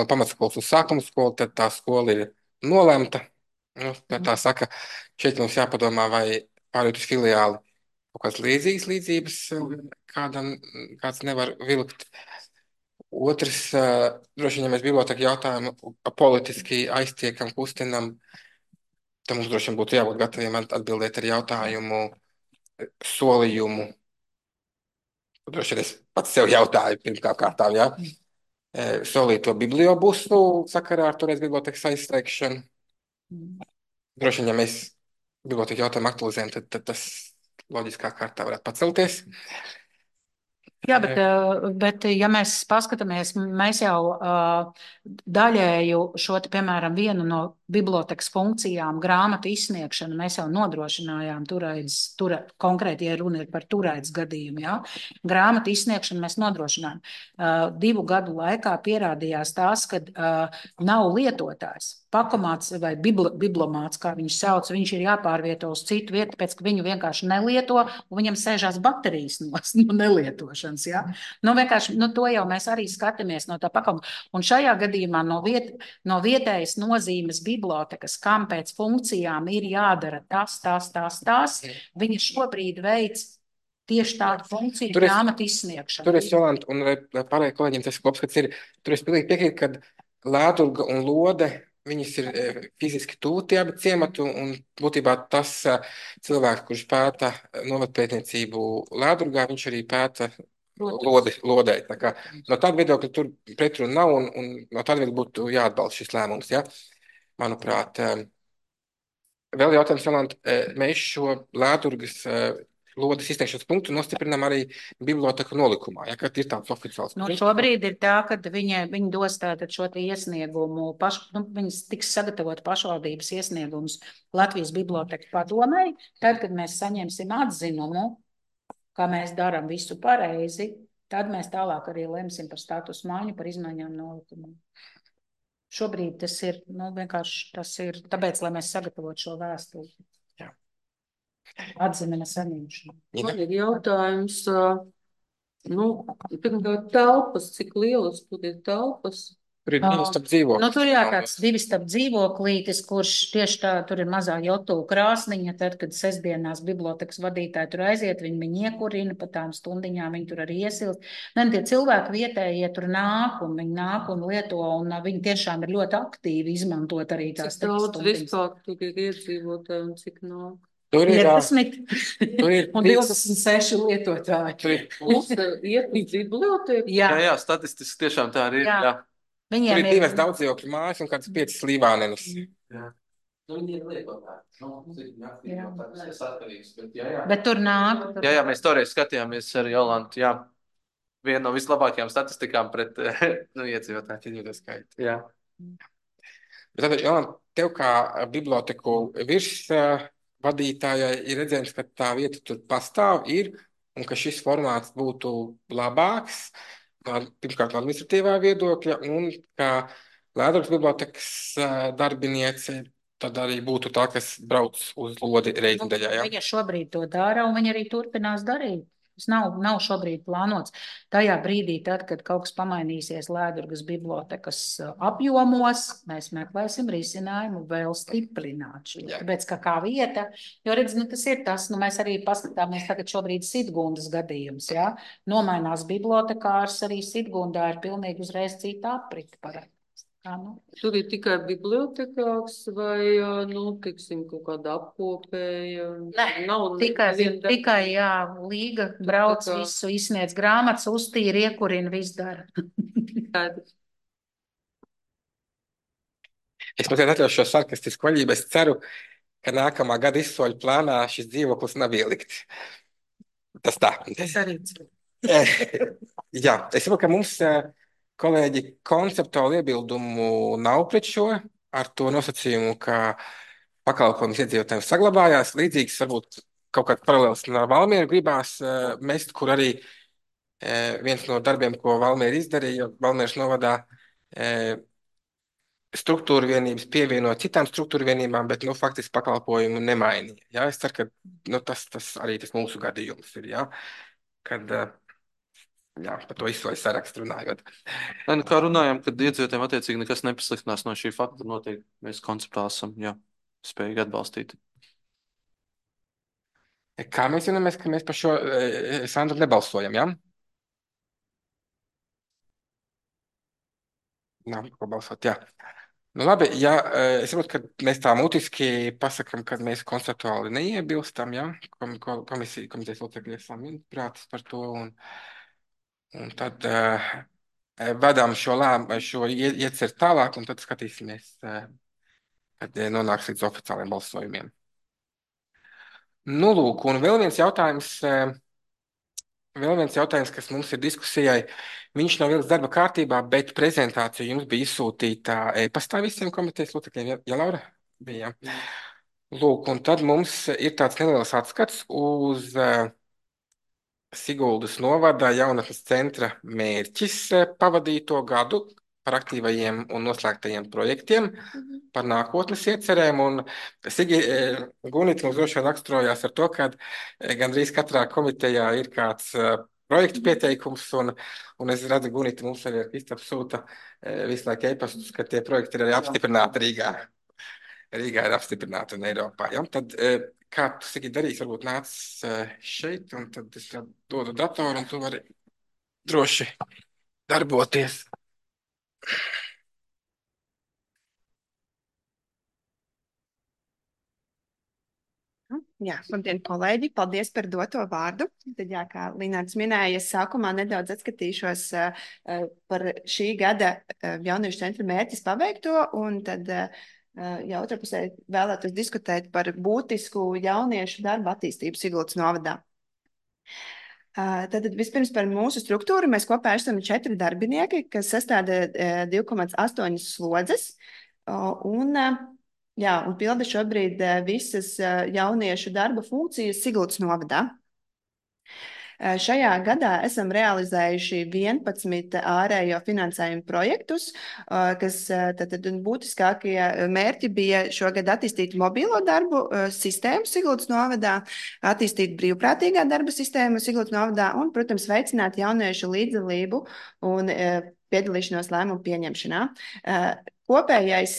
pamatskolas uz sākuma skolu, tad tā skola ir nolemta. Tā saka, šeit mums jāpadomā, vai pāriet uz filiāli kaut kāds līdzības kāds nevar vilkt. Otrs, droši vien, ja mēs biblioteku jautājumu politiski aiztiekam, kustinam, tad mums droši vien būtu jābūt gataviem atbildēt ar jautājumu, solījumu. Droši vien es pats sev jautāju pirmkārt kārtām, ja? Solīto bibliobusu sakarā ar toreiz bibliotekas aizslēgšanu. Droši vien, ja mēs biblioteku jautājumu aktualizējam, tad tas loģiskā kārtā varētu pacelties. Jā, bet ja mēs paskatāmies, mēs jau daļēju šo, piemēram, vienu no bibliotekas funkcijām, grāmatu izsniegšanu, mēs jau nodrošinājām konkrēti, ja runa ir par Turaidas gadījumu, jā. Grāmatu izsniegšanu mēs nodrošinājām. 2 gadu laikā pierādījās tās, kad nav lietotājs. Pakomāts vai biblomāts, kā viņš sauc, viņš ir jāpārvieto uz citu vietu, pēc ka viņu vienkārši nelieto, un viņam sēžās baterijas no nelietošanas. Ja? Vienkārši, to jau mēs arī skatāmies no tā pakalpojuma. Un šajā gadījumā no vietējas nozīmes bibliotekas, kam pēc funkcijām ir jādara tās, viņa šobrīd veic tieši tādu funkciju grāmatu izsniegšanu. Tur es, Jolanta, un lai pārējie kolēģiem tas kopskats ir, tur es pilnīgi piekrītu, ka Lēdurga un Lode viņas ir fiziski tuvu tie abi ciemati, un būtībā tas cilvēks, kurš pēta novatpētniecību Lēdurgā, viņš arī pēta lodē. Tā kā no tāda viedokļa tur pretruna nav, un no tāda viedokļa būtu jāatbalsta šis lēmums, ja? Manuprāt, vēl jautājums, Jolanta, mēs šo Lēdurgas lodes izsniegšanas punktu nostiprinām arī biblioteku nolikumā, ja, kad ir tāds oficiāls. Nu, šobrīd ir tā, ka viņi dos tātad šo te iesniegumu, viņas tiks sagatavot pašvaldības iesniegumus Latvijas biblioteku padomei, tad, kad mēs saņemsim atzinumu, kā mēs darām visu pareizi, tad mēs tālāk arī lemsim par status maiņu, par izmaiņām nolikumā. Šobrīd tas ir, vienkārši tas ir tāpēc, lai mēs sagatavotu šo vēstuli. Atzinuma saņemšanu. Man ir jautājums, pirmkārt, telpas, cik lielas tur ir telpas? Tur ir divi starp dzīvokļus. Tur jā, tāds divi starp dzīvoklītis, kurš tieši tā, tur ir mazā jotu krāsniņa, tad, kad sestdienās bibliotekas vadītāji tur aiziet, viņi iekurina pa tām stundiņām, viņi tur arī iesilst. Tie cilvēki vietējie tur nāk un lieto, un viņi tiešām ir ļoti aktīvi izmantot arī tās cik daudz vispār tur ir iedzīvotāji un cik nāk? Tur ir 15 un 26 lietotāji. Tur ir iet līdz bibliotēku? Jā, statistiski tiešām tā arī ir. Jā. Tur ir divas daudzdzīvokļu mājas un kāds 5 slīvānenes. Viņi ir lietotāji. Tas atkarīgs. Bet tur nāk. Jā, mēs toreiz skatījāmies ar Jolantu. Jā. Viena no vislabākajām statistikām pret iedzīvotāju skaitu. Jā. Bet tad, Jolanta, tev kā biblioteku virsvadītājai ir redzējums, ka tā vieta tur pastāv ir un ka šis formāts būtu labāks. Pirmkārt, no administratīvā viedokļa, un kā Lēdurgas bibliotekas darbiniece, tad arī būtu tā, kas brauc uz lodi reitindaļā. Ja? Viņa šobrīd to dara, un viņa arī turpinās darīt. Tas nav šobrīd plānots. Tajā brīdī, tad, kad kaut kas pamainīsies Lēdurgas bibliotekas apjomos, mēs meklēsim risinājumu vēl stiprināt šo. Tāpēc, kā vieta, jo redz, tas ir tas, mēs arī paskatāmies tagad šobrīd Sidgundas gadījums, ja? Nomainās bibliotekārs, arī Sidgundā ir pilnīgi uzreiz cita aprita parāda. Tur ir tikai bibliotekārs vai, tiksim, kaut kāda apkopēja? Tikai, jā, Līga brauc visu, izsniedz grāmatas, uztīra, iekurina, viss dara. Es mazliet atļaušu šo sarkastisku vaļību. Es ceru, ka nākamā gada izsoļu plānā šis dzīvoklis nav ielikts. Tas tā. Es arī ceru. Jā, es saprotu, ka mums kolēģi konceptuāli iebildumu nav pret šo, ar to nosacījumu, ka pakalpojums iedzīvotājiem saglabājās. Līdzīgs varbūt kaut kāds paralēls ar Valmieru gribās mest, kur arī viens no darbiem, ko Valmiera izdarīja, Valmieras novadā struktūra vienības pievienot citām struktūra vienībām, bet faktiski pakalpojumu nemainīja. Ja? Es ceru, ka tas arī tas mūsu gadījums ir, ja? Kad par to izsoļu sarakstu runājot. Kā runājam, kad iedzīvotājiem attiecīgi nekas nepasliktinās no šī fakta, noteikti mēs konceptuāli esam spējīgi atbalstīt. Kā mēs vienojamies, ka mēs par šo Sandru nebalsojam, ja? Nav ko balsot, jā. Labi, ja es saprotu, ka mēs tā mutiski pasakam, ka mēs konceptuāli neiebilstam, ja? Komitejas locekļi esam vienprātis par to, un tad vedām šo ieceru tālāk, un tad skatīsimies, kad nonāks līdz oficiāliem balsojumiem. Lūk, un vēl viens jautājums, kas mums ir diskusijai. Viņš nav ielikts darba kārtībā, bet prezentācija jums bija izsūtīta e-pastā visiem komitejas locekļiem. Ja, Laura? Bija. Lūk, un tad mums ir tāds neliels atskats uz Siguldas novada jaunatnes centra mērķis pavadīto gadu par aktīvajiem un noslēgtajiem projektiem, par nākotnes iecerēm. Un Gunita mums droši vien raksturojās ar to, ka gandrīz katrā komitejā ir kāds projektu pieteikums, un es redzu, Gunita mums arī ar Kristapu sūta visu laiku e-pastus, ka tie projekti ir arī apstiprināti Rīgā. Rīgā ir apstiprināti un Eiropā. Ja? Tad, kā tu, Sigi, darīsi, varbūt nāc šeit, un tad es dodu datoru, un tu vari droši darboties. Jā, labdien, kolēģi! Paldies par doto vārdu. Tad, jā, kā Linārds minēja, es sākumā nedaudz atskatīšos par šī gada jauniešu centra mērķis paveikto, un tad jau otrā pusē vēlētos diskutēt par būtisku jauniešu darba attīstību Sigultas novadā. Tad vispirms par mūsu struktūru. Mēs kopā esam 4 darbinieki, kas sastāda 2,8 slodzes. Un pilda šobrīd visas jauniešu darba funkcijas Sigultas novadā. Šajā gadā esam realizējuši 11 ārējo finansējumu projektus, kas tad būtiskākie mērķi bija šogad attīstīt mobilo darbu sistēmu Sigultas novadā, attīstīt brīvprātīgā darba sistēmu Sigultas novadā un, protams, veicināt jauniešu līdzdalību un piedalīšanos lēmumu pieņemšanā. Kopējais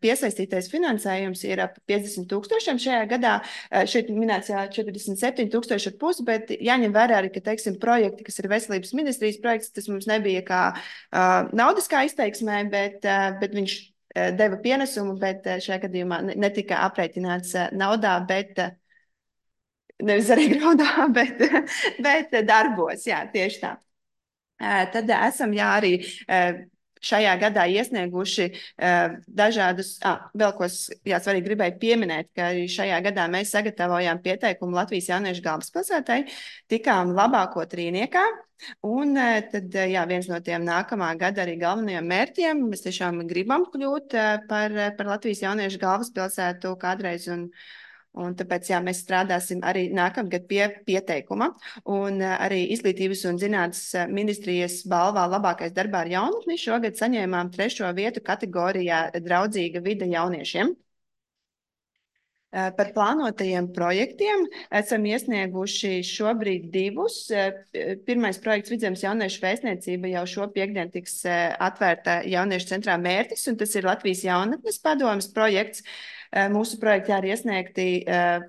piesaistītais finansējums ir ap 50,000 šajā gadā. Šeit minēts 47,500, bet jāņem vērā arī, ka, teiksim, projekti, kas ir veselības ministrijas projekts, tas mums nebija kā naudiskā izteiksmē, bet viņš deva pienesumu, bet šajā gadījumā netika aprēķināts naudā, bet nevis arī graudā, bet darbos, jā, tieši tā. Tad esam, jā, arī šajā gadā iesnieguši dažādus, vēl ko svarīgi gribēju pieminēt, ka šajā gadā mēs sagatavojām pieteikumu Latvijas jauniešu galvaspilsētai, tikām labāko trīniekā, un tad, jā, viens no tiem nākamā gada arī galvenajiem mērķiem, mēs tiešām gribam kļūt par Latvijas jauniešu galvaspilsētu kādreiz, un tāpēc, jā, mēs strādāsim arī nākamgad pie pieteikuma. Un arī Izglītības un zinātnes ministrijas balvā labākais darbā ar jaunatni šogad saņēmām 3. vietu kategorijā draudzīga vide jauniešiem. Par plānotajiem projektiem esam iesnieguši šobrīd 2. Pirmais projekts Vidzemes jauniešu vēstniecība jau šo piektdienu tiks atvērta jauniešu centrā mērķis, un tas ir Latvijas jaunatnes padomes projekts. Mūsu projekti arī iesniegti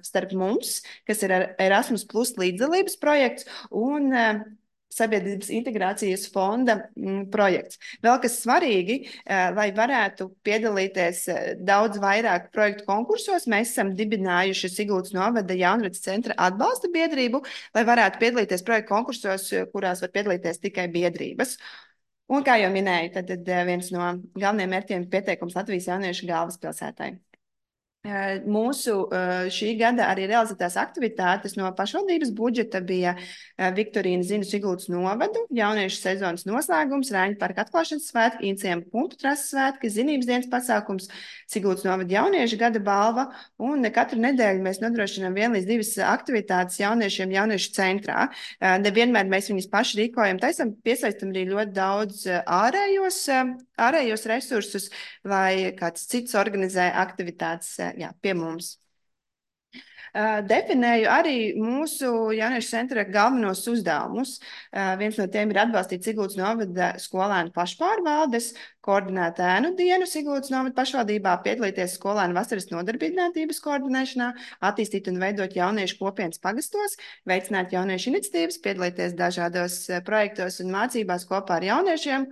starp mums, kas ir Erasmus Plus līdzdalības projekts un Sabiedrības integrācijas fonda projekts. Vēl kas svarīgi, lai varētu piedalīties daudz vairāk projektu konkursos, mēs esam dibinājuši Sigultas novada jaunradas centra atbalsta biedrību, lai varētu piedalīties projektu konkursos, kurās var piedalīties tikai biedrības. Un, kā jau minēju, tad viens no galvenajiem mērķiem pieteikums Latvijas jauniešu galvaspilsētai. Mūsu šī gada arī realizētās aktivitātes no pašvaldības budžeta bija Viktorīna zinu Sigultas novadu, jauniešu sezonas noslēgums, Rāņu parka atklāšanas svētki, Inciem punktu trases svētki, zinības dienas pasākums, Sigultas novada jauniešu gada balva, un katru nedēļu mēs nodrošinām 1 līdz 2 aktivitātes jauniešiem jauniešu centrā. Nevienmēr mēs viņus paši rīkojam, taisam piesaistam arī ļoti daudz ārējos resursus, vai kāds cits organizē aktivitātes pie mums. Definēju arī mūsu jauniešu centra galvenos uzdevumus. Viens no tiem ir atbalstīt Sigultas novada skolēnu pašpārvaldes, koordinēt ēnu dienu Sigultas novada pašvaldībā, piedalīties skolēnu vasaras nodarbinātības koordinēšanā, attīstīt un veidot jauniešu kopienas pagastos, veicināt jauniešu iniciatīvas, piedalīties dažādos projektos un mācībās kopā ar jauniešiem.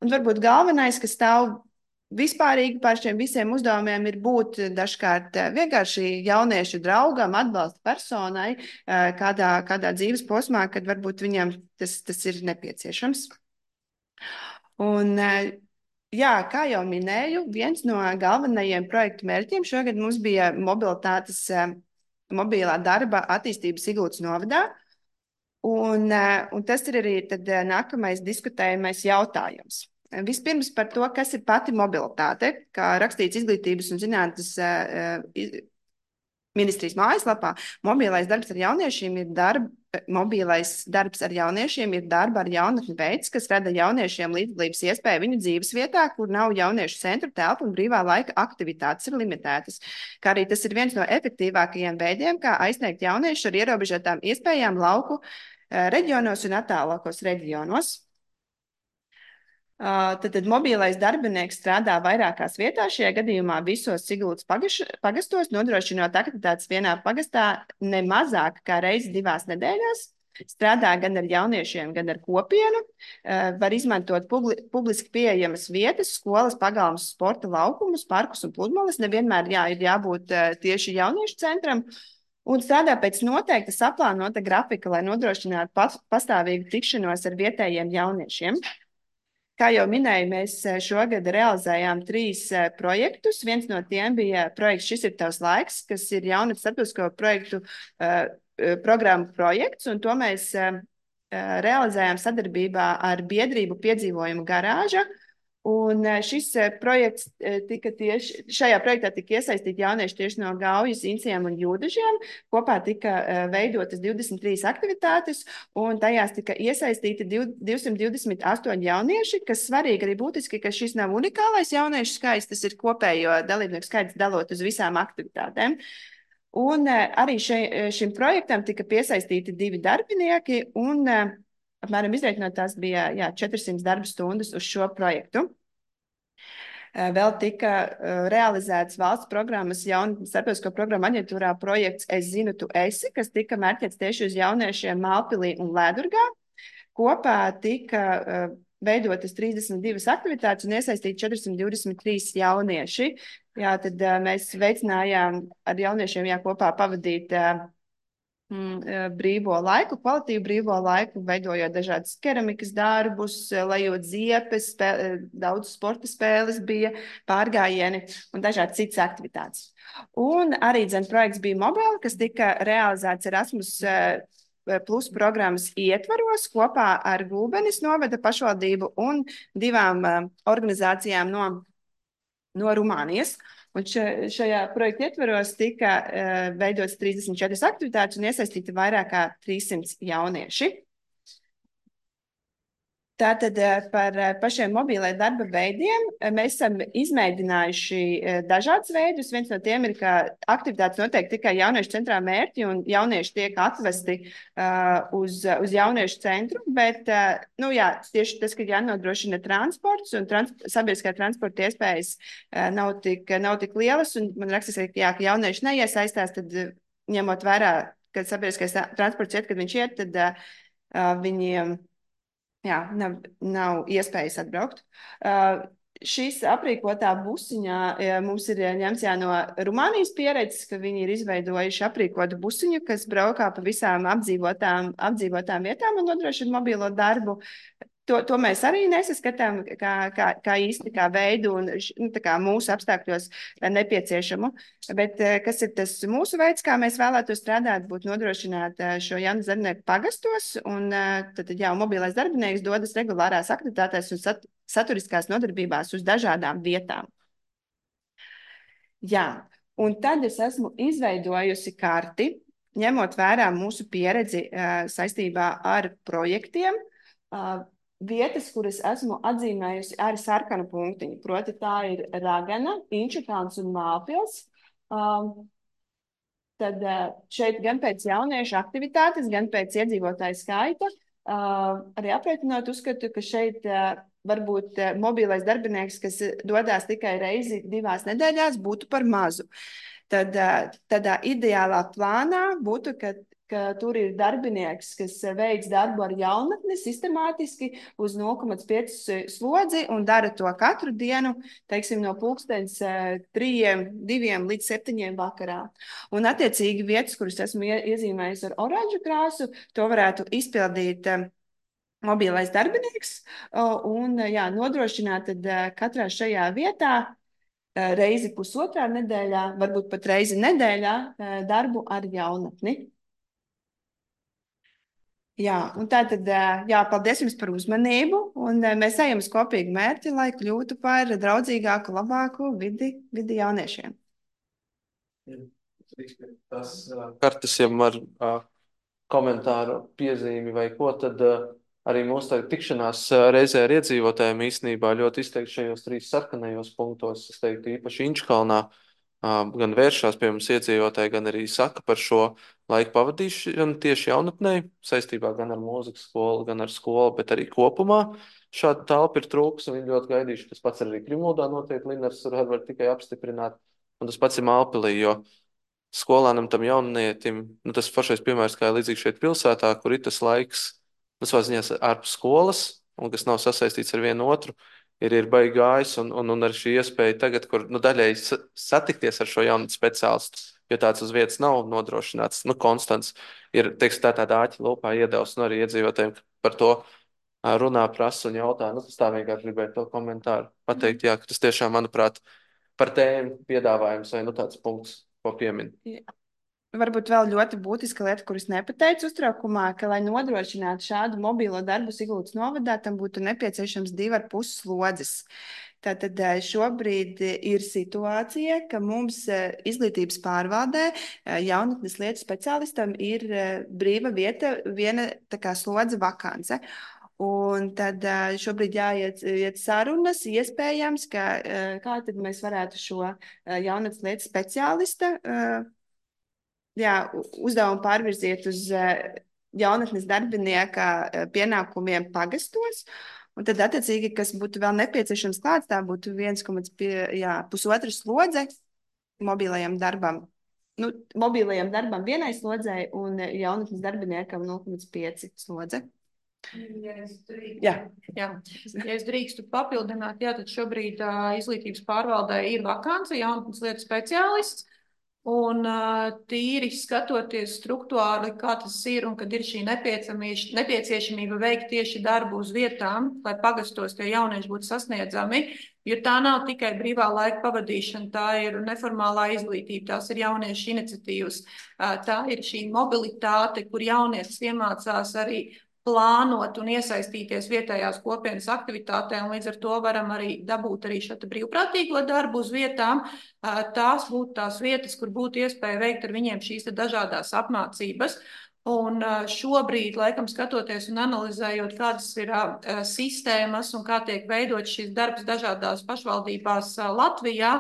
Un varbūt galvenais, kas stāv vispārīgi par šiem visiem uzdevumiem, ir būt dažkārt vienkārši jauniešu draugam, atbalsta personai kādā dzīves posmā, kad varbūt viņam tas ir nepieciešams. Un, jā, kā jau minēju, viens no galvenajiem projektu mērķiem šogad mums bija mobilā darba attīstība Sigultas novadā. Un tas ir arī tad nākamais diskutējamais jautājums. Vispirms par to, kas ir pati mobilitāte, kā rakstīts Izglītības un zinātnes ministrijas mājaslapā. Mobilais darbs ar jauniešiem ir darba ar jaunatni veids, kas rada jauniešiem līdzdalības iespēju viņu dzīves vietā, kur nav jauniešu centru telpu un brīvā laika aktivitātes ir limitētas. Kā arī tas ir viens no efektīvākajiem veidiem, kā aizsniegt jauniešu ar ierobežotām iespējām lauku reģionos un attālākos reģionos. Tad mobilais darbinieks strādā vairākās vietās, šajā gadījumā visos Sigultas pagastos, nodrošinot aktivitātes vienā pagastā ne mazāk kā reizi 2 nedēļās. Strādā gan ar jauniešiem, gan ar kopienu, var izmantot publiski pieejamas vietas, skolas, pagalmas, sporta laukumus, parkus un pludmales. Nevienmēr ir jābūt tieši jauniešu centram. un strādā pēc noteikta saplānota grafika, lai nodrošinātu pastāvīgu tikšanos ar vietējiem jauniešiem. Kā jau minēju, mēs šogad realizējām 3 projektus. Viens no tiem bija projekts Šis ir tavs laiks, kas ir jaunatnes starptautisko projektu programmu projekts, un to mēs realizējām sadarbībā ar biedrību Piedzīvojumu garāža. Un šajā projektā tika iesaistīti jaunieši tieši no Gaujas, Inciem un Jūdažiem. Kopā tika veidotas 23 aktivitātes, un tajās tika iesaistīti 228 jaunieši, kas svarīgi arī būtiski, ka šis nav unikālais jauniešu skaits, tas ir kopējo dalībnieku skaits dalot uz visām aktivitātēm. Un arī šim projektam tika piesaistīti 2 darbinieki, un apmēram izreikinot tās bija 400 darba stundas uz šo projektu. Vēl tika realizēts valsts programmas jaunatnes starptautisko programmu aģentūrā projekts Es zinu, tu esi, kas tika mērķēts tieši uz jauniešiem Mālpilī un Lēdurgā. Kopā tika veidotas 32 aktivitātes un iesaistīti 423 jaunieši. Jā, tad mēs veicinājām ar jauniešiem kopā pavadīt brīvo laiku, kvalitīvu brīvo laiku, veidojot dažādas keramikas darbus, lejot ziepes, daudz sporta spēles bija, pārgājieni un dažādas citas aktivitātes. Un arī projekts bija mobili, kas tika realizēts Erasmus Plus programmas ietvaros kopā ar Gulbenes novada pašvaldību un 2 organizācijām no Rumānijas. Un šajā projekta ietvaros tika veidotas 34 aktivitātes un iesaistīti vairāk kā 300 jaunieši. Tātad par pašiem mobiliem darba veidiem mēs esam izmēģinājuši dažādus veidus. Viens no tiem ir, ka aktivitātes notiek tikai jauniešu centrā mērķi un jaunieši tiek atvesti uz jauniešu centru, bet tieši tas, ka jānodrošina transports un sabiedriskā transporta iespējas nav tik lielas, un man rakstas, ka jaunieši neiesaistās, tad ņemot vērā, kad sabiedriskais transports iet, kad viņš iet, tad viņiem nav iespējas atbraukt. Šīs aprīkotā busiņā mums ir ņemts no Rumānijas pieredzes, ka viņi ir izveidojuši aprīkotu busiņu, kas braukā pa visām apdzīvotām vietām un nodrošina mobilo darbu. To mēs arī nesaskatām kā īsti kā veidu un kā mūsu apstākļos nepieciešamu. Bet kas ir tas mūsu veids, kā mēs vēlētos strādāt, būtu nodrošināt šo jaunu darbinieku pagastos, un tad mobilais darbinieks dodas regulārās aktivitātēs un saturiskās nodarbībās uz dažādām vietām. Un tad es esmu izveidojusi karti, ņemot vērā mūsu pieredzi saistībā ar projektiem, vietas, kuras esmu atzīmējusi ar sarkanu punktiņu. Proti tā ir Ragana, Inčukalns un Mālpils. Tad šeit gan pēc jauniešu aktivitātes, gan pēc iedzīvotāju skaita, arī aprēķinot, uzskatu, ka šeit varbūt mobilais darbinieks, kas dodās tikai reizi 2 nedēļās, būtu par mazu. Tad tādā ideālā plānā būtu, ka tur ir darbinieks, kas veic darbu ar jaunatni sistemātiski uz 0,5 slodzi un dara to katru dienu, teiksim, no 2 līdz 7 vakarā. Un attiecīgi vietas, kuras esmu iezīmējusi ar oranžu krāsu, to varētu izpildīt mobilais darbinieks un nodrošināt tad katrā šajā vietā reizi pusotrā nedēļā, varbūt pat reizi nedēļā darbu ar jaunatni. Un tātad, paldies jums par uzmanību, un mēs ejam uz kopīgu mērķi, lai kļūtu par draudzīgāku, labāku vidi jauniešiem. Tas kartes jau ar komentāru piezīmi vai ko, tad arī mūsu tikšanās reizē ar iedzīvotājiem īstenībā ļoti izteikti šajos 3 sarkanajos punktos, es teiktu īpaši Inčukalnā, gan vēršās pie mums iedzīvotāji, gan arī saka par šo laiku pavadīšanu tieši jaunatnē, saistībā gan ar mūzikas skolu, gan ar skolu, bet arī kopumā. Šāda telpa ir trūks, un viņi ļoti gaidījuši. Tas pats arī Krimuldā noteikti Linars var tikai apstiprināt, un tas pats ir Mālpilī, jo skolānam tam jaunietim, tas pašais piemērs, kā līdzīgi šeit pilsētā, kur ir tas laiks, tas var ziņās ārpus skolas, un kas nav sasaistīts ar vienu otru, ir baigi gājis, un ar šī iespēja tagad, kur daļēji satikties ar šo jaunu speciālistu, jo tāds uz vietas nav nodrošināts, konstants, ir, teiksim, tāda āķa lūpā iedevs, arī iedzīvotājiem par to runā, prasa un jautā. Tas tā vienkārši gribēju to komentāru pateikt, jā, ka tas tiešām, manuprāt, par tēmu piedāvājums vai tāds punkts, ko piemin. Varbūt vēl ļoti būtiska lieta, kuras nepateicu uztraukumā, ka, lai nodrošinātu šādu mobilo darbu Siguldas novadā, tam būtu nepieciešams 2,5 slodzes. Tātad šobrīd ir situācija, ka mums izglītības pārvaldē jaunatnes lietu speciālistam ir brīva vieta, viena tā kā slodze vakance. Un tad šobrīd jāiet sarunas, iespējams, kā tad mēs varētu šo jaunatnes lietu speciālista uzdevumu pārvirziet uz jaunatnes darbinieka pienākumiem pagastos. Un tad, attiecīgi, kas būtu vēl nepieciešams klāts, tā būtu 1,5 slodze mobilajam darbam. Mobilajam darbam vienai slodzei un jaunatnes darbiniekam 0,5 slodze. Ja es drīkstu papildināt, tad šobrīd izglītības pārvaldē ir vakance jaunatnes lietu speciālists. Un tīri skatoties struktūrāli, kā tas ir un kad ir šī nepieciešamība veikt tieši darbu uz vietām, lai pagastos tie jaunieši būtu sasniedzami, jo tā nav tikai brīvā laika pavadīšana, tā ir neformālā izglītība, tās ir jauniešu iniciatīvas, tā ir šī mobilitāte, kur jaunietis iemācās arī plānot un iesaistīties vietējās kopienas aktivitātē, un līdz ar to varam arī dabūt arī šo brīvprātīgo darbu uz vietām. Tās būtu tās vietas, kur būtu iespēja veikt ar viņiem šīs dažādās apmācības. Un šobrīd, laikam, skatoties un analizējot, kādas ir sistēmas un kā tiek veidot šis darbs dažādās pašvaldībās Latvijā,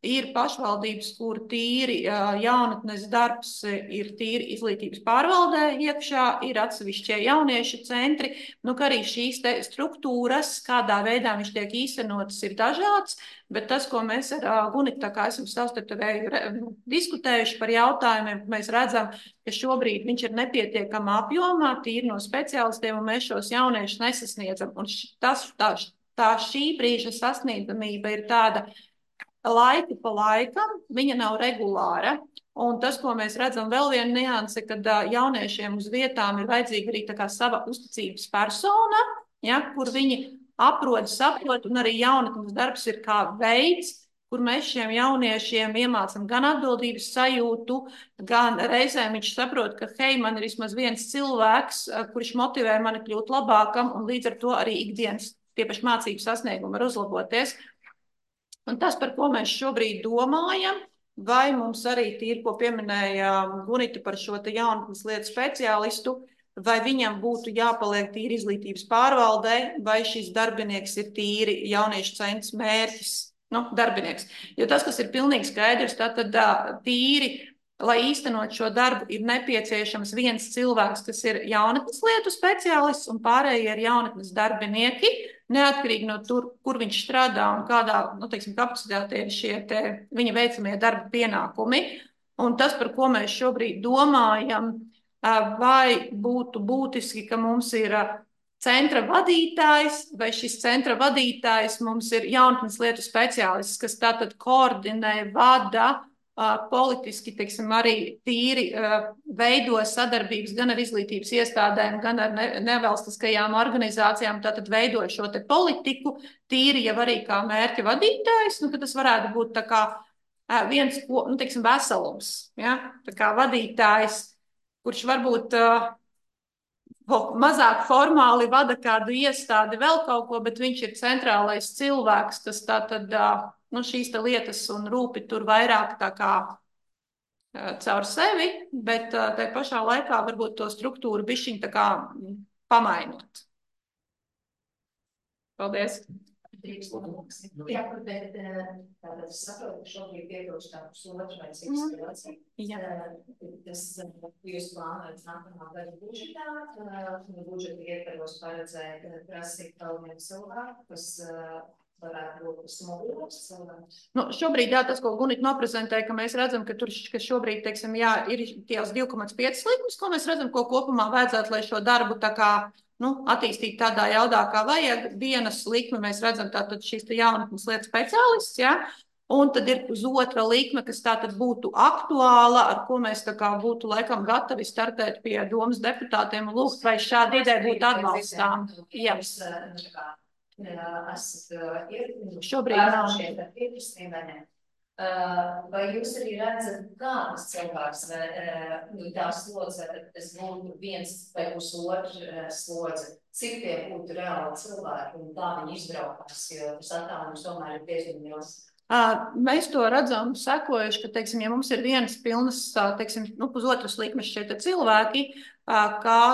ir pašvaldības, kur tīri jaunatnes darbs ir tīri izglītības pārvaldē iekšā, ir atsevišķie jauniešu centri, ka arī šīs struktūras, kādā veidā viņš tiek īstenotas, ir dažāds, bet tas, ko mēs ar Gunitu tā kā esam savstarpēji diskutējuši par jautājumiem, mēs redzam, ka šobrīd viņš ir nepietiekamā apjomā, tīri no speciālistiem, un mēs šos jauniešus nesasniedzam. Un tā šī brīža sasniedzamība ir tāda, laiku pa laikam, viņa nav regulāra. Un tas, ko mēs redzam, vēl viena nianse, kad jauniešiem uz vietām ir vajadzīga arī tā kā sava uzticības persona, kur viņi aprod, saprot, un arī jaunatnes darbs ir kā veids, kur mēs šiem jauniešiem iemācam gan atbildības sajūtu, gan reizēm viņš saprot, ka, hei, man ir vismaz viens cilvēks, kurš motivē mani kļūt labākam, un līdz ar to arī ikdienas tiepaši mācību sasniegumi var uzlaboties. Un tas, par ko mēs šobrīd domājam, vai mums arī tīri, ko pieminēja Gunita par šo jaunatnes lietu speciālistu, vai viņam būtu jāpaliek tīri izglītības pārvaldē, vai šis darbinieks ir tīri jauniešu centrs mērķis, darbinieks. Jo tas, kas ir pilnīgi skaidrs, tad tīri, lai īstenot šo darbu, ir nepieciešams viens cilvēks, kas ir jaunatnes lietu speciālists, un pārējie ir jaunatnes darbinieki, neatkarīgi no tur, kur viņš strādā un kādā, kapacitātē ir šie viņa veicamie darba pienākumi. Un tas, par ko mēs šobrīd domājam, vai būtu būtiski, ka mums ir centra vadītājs, vai šis centra vadītājs mums ir jaunatnes lietu speciālists, kas tātad koordinē, vada, politiski, arī tīri veido sadarbības gan ar izglītības iestādēm, gan ar nevalstiskajām organizācijām, tātad veido šo politiku, tīri jau arī kā mērķa vadītājs, ka tas varētu būt tā kā viens, veselums, tā kā vadītājs, kurš varbūt mazāk formāli vada kādu iestādi vēl kaut ko, bet viņš ir centrālais cilvēks, kas tātad šīs lietas un rūpi tur vairāk tā kā caur sevi, bet tai pašā laikā varbūt to struktūru bišķiņ tā kā pamainot. Paldies! Jā, bet es saprotu, ka šobrīd iedošu tā pusotru vai cik situāciju. Tas jūs plānojat nākamā gada budžetā, budžeta ietvaros paredzēt prasīt vēl vienu cilvēku, kas varētu būt smogulības cilvēks. Šobrīd, tas, ko Gunita noprezentēja, ka mēs redzam, ka šobrīd, ir tās 2,5 likmes, ko mēs redzam, ko kopumā vajadzētu, lai šo darbu tā kā attīstīt tādā jaudā, kā vajag. Dienas likme mēs redzam tātad šīs jaunatnes lietu speciālists, ja? Un tad ir uz otra likme, kas tātad būtu aktuāla, ar ko mēs tā kā būtu laikam gatavi startēt pie domas deputātiem un lūgt, vai šāda ideja būtu atbalstām. Jā. Šobrīd nav. Vai jūs arī redzat, kādas cilvēks tā slodze, tas būtu viens vai pusotru slodze, cik tie būtu reāli cilvēki un kā viņi izbraukās, jo tas attālums tomēr ir diezgan liels? Mēs to redzam sekojuši, ka, teiksim, ja mums ir vienas pilnas, teiksim, pusotras likmes šeit cilvēki, kā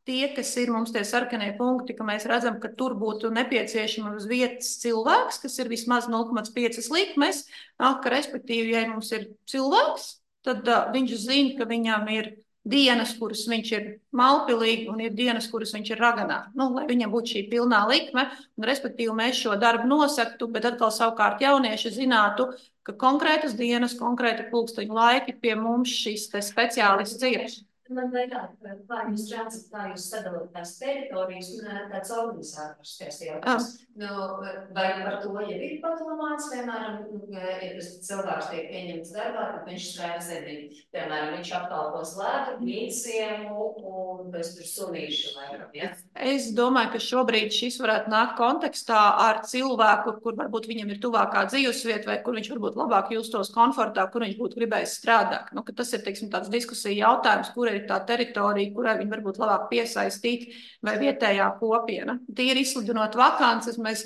tie, kas ir mums tie sarkanie punkti, ka mēs redzam, ka tur būtu nepieciešama uz vietas cilvēks, kas ir vismaz 0,5 likmes, ka respektīvi, ja mums ir cilvēks, tad viņš zina, ka viņam ir dienas, kuras viņš ir Malpilī, un ir dienas, kuras viņš ir Raganā. Lai viņam būtu šī pilnā likme, un respektīvi mēs šo darbu nosaktu, bet atkal savukārt jaunieši zinātu, ka konkrētas dienas, konkrēti pulksteņu laiki pie mums šis te speciālists ir. Man vairāk, kā jūs redzat, kā jūs sadalāt tās teritorijas un tāds organizators tās jautājums. Vai par to jau ir padomāts, piemēram, ja tas cilvēks tiek pieņemts darbā, tad viņš strādā zedīt. Piemēram, viņš apkalpos lētu, mīciemu un bez tur sunīšu vairāk, ja? Es domāju, ka šobrīd šis varētu nākt kontekstā ar cilvēku, kur varbūt viņam ir tuvākā dzīvesvieta vai kur viņš varbūt labāk justos komfortā, kur viņš būtu gribējis strādāt. Ka tas ir, teiksim, tāds diskusija jautājums, kur ir tā teritorija, kurai viņi varbūt labāk piesaistīt vai vietējā kopiena. Tīri izsludinot vakances, mēs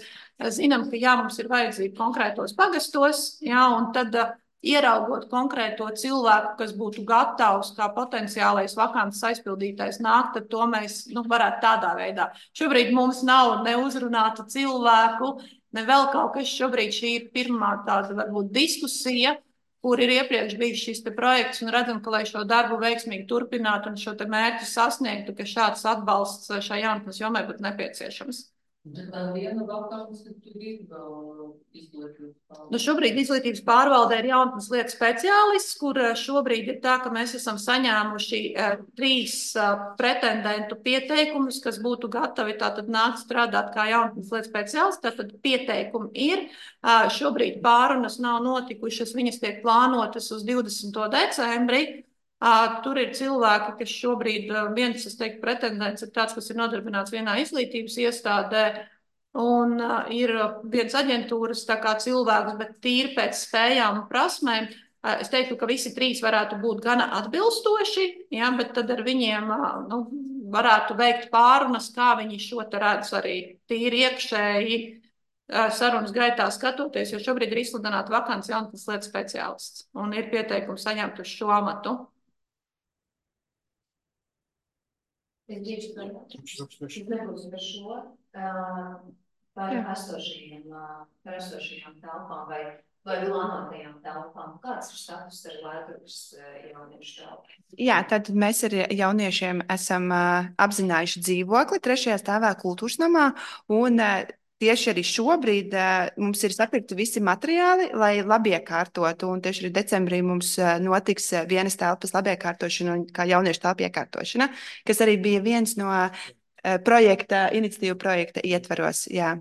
zinām, ka jā, mums ir vajadzība konkrētos pagastos, jā, un tad ieraugot konkrēto cilvēku, kas būtu gatavs kā potenciālais vakances aizpildītājs nākt, tad to mēs varētu tādā veidā. Šobrīd mums nav neuzrunāta cilvēku, ne vēl kaut kas. Šobrīd šī ir pirmā tāda varbūt diskusija, kur ir iepriekš bijis šis projekts, un redzam, ka, lai šo darbu veiksmīgi turpinātu un šo mērķi sasniegtu, ka šāds atbalsts šai jaunatnes jomai būtu nepieciešams. Šobrīd izglītības pārvaldē ir jaunatnes lietu speciālists, kur šobrīd ir tā, ka mēs esam saņēmuši 3 pretendentu pieteikumus, kas būtu gatavi tātad nākt strādāt kā jaunatnes lietu speciālisti. Tātad pieteikumi ir. Šobrīd pārunas nav notikušas, viņas tiek plānotas uz 20. decembri. Tur ir cilvēki, kas šobrīd, viens, es teiktu, pretendents ir tāds, kas ir nodarbināts vienā izglītības iestādē, un ir viens aģentūras tā kā cilvēks, bet tīri pēc spējām un prasmēm. Es teiktu, ka visi 3 varētu būt gana atbilstoši, ja, bet tad ar viņiem varētu veikt pārunas, kā viņi šo te redz arī tīri iekšēji sarunas gaitā skatoties, jo šobrīd ir izsludināta vakants jaunatnes lietu speciālists, un ir pieteikums saņemt uz šo amatu. Es nebūs par šo, par esošajām telpām vai plānotajām telpām. Kāds ir status ar Latvijas jauniešu telpu? Jā, tad mēs ar jauniešiem esam apzinājuši dzīvokli 3. stāvā Kultūras namā, un tieši arī šobrīd mums ir sapirkti visi materiāli, lai labiekārtotu, un tieši arī decembrī mums notiks vienas telpas labiekārtošana un kā jauniešu telpa iekārtošana, kas arī bija viens no iniciatīvu projekta ietvaros. Jā.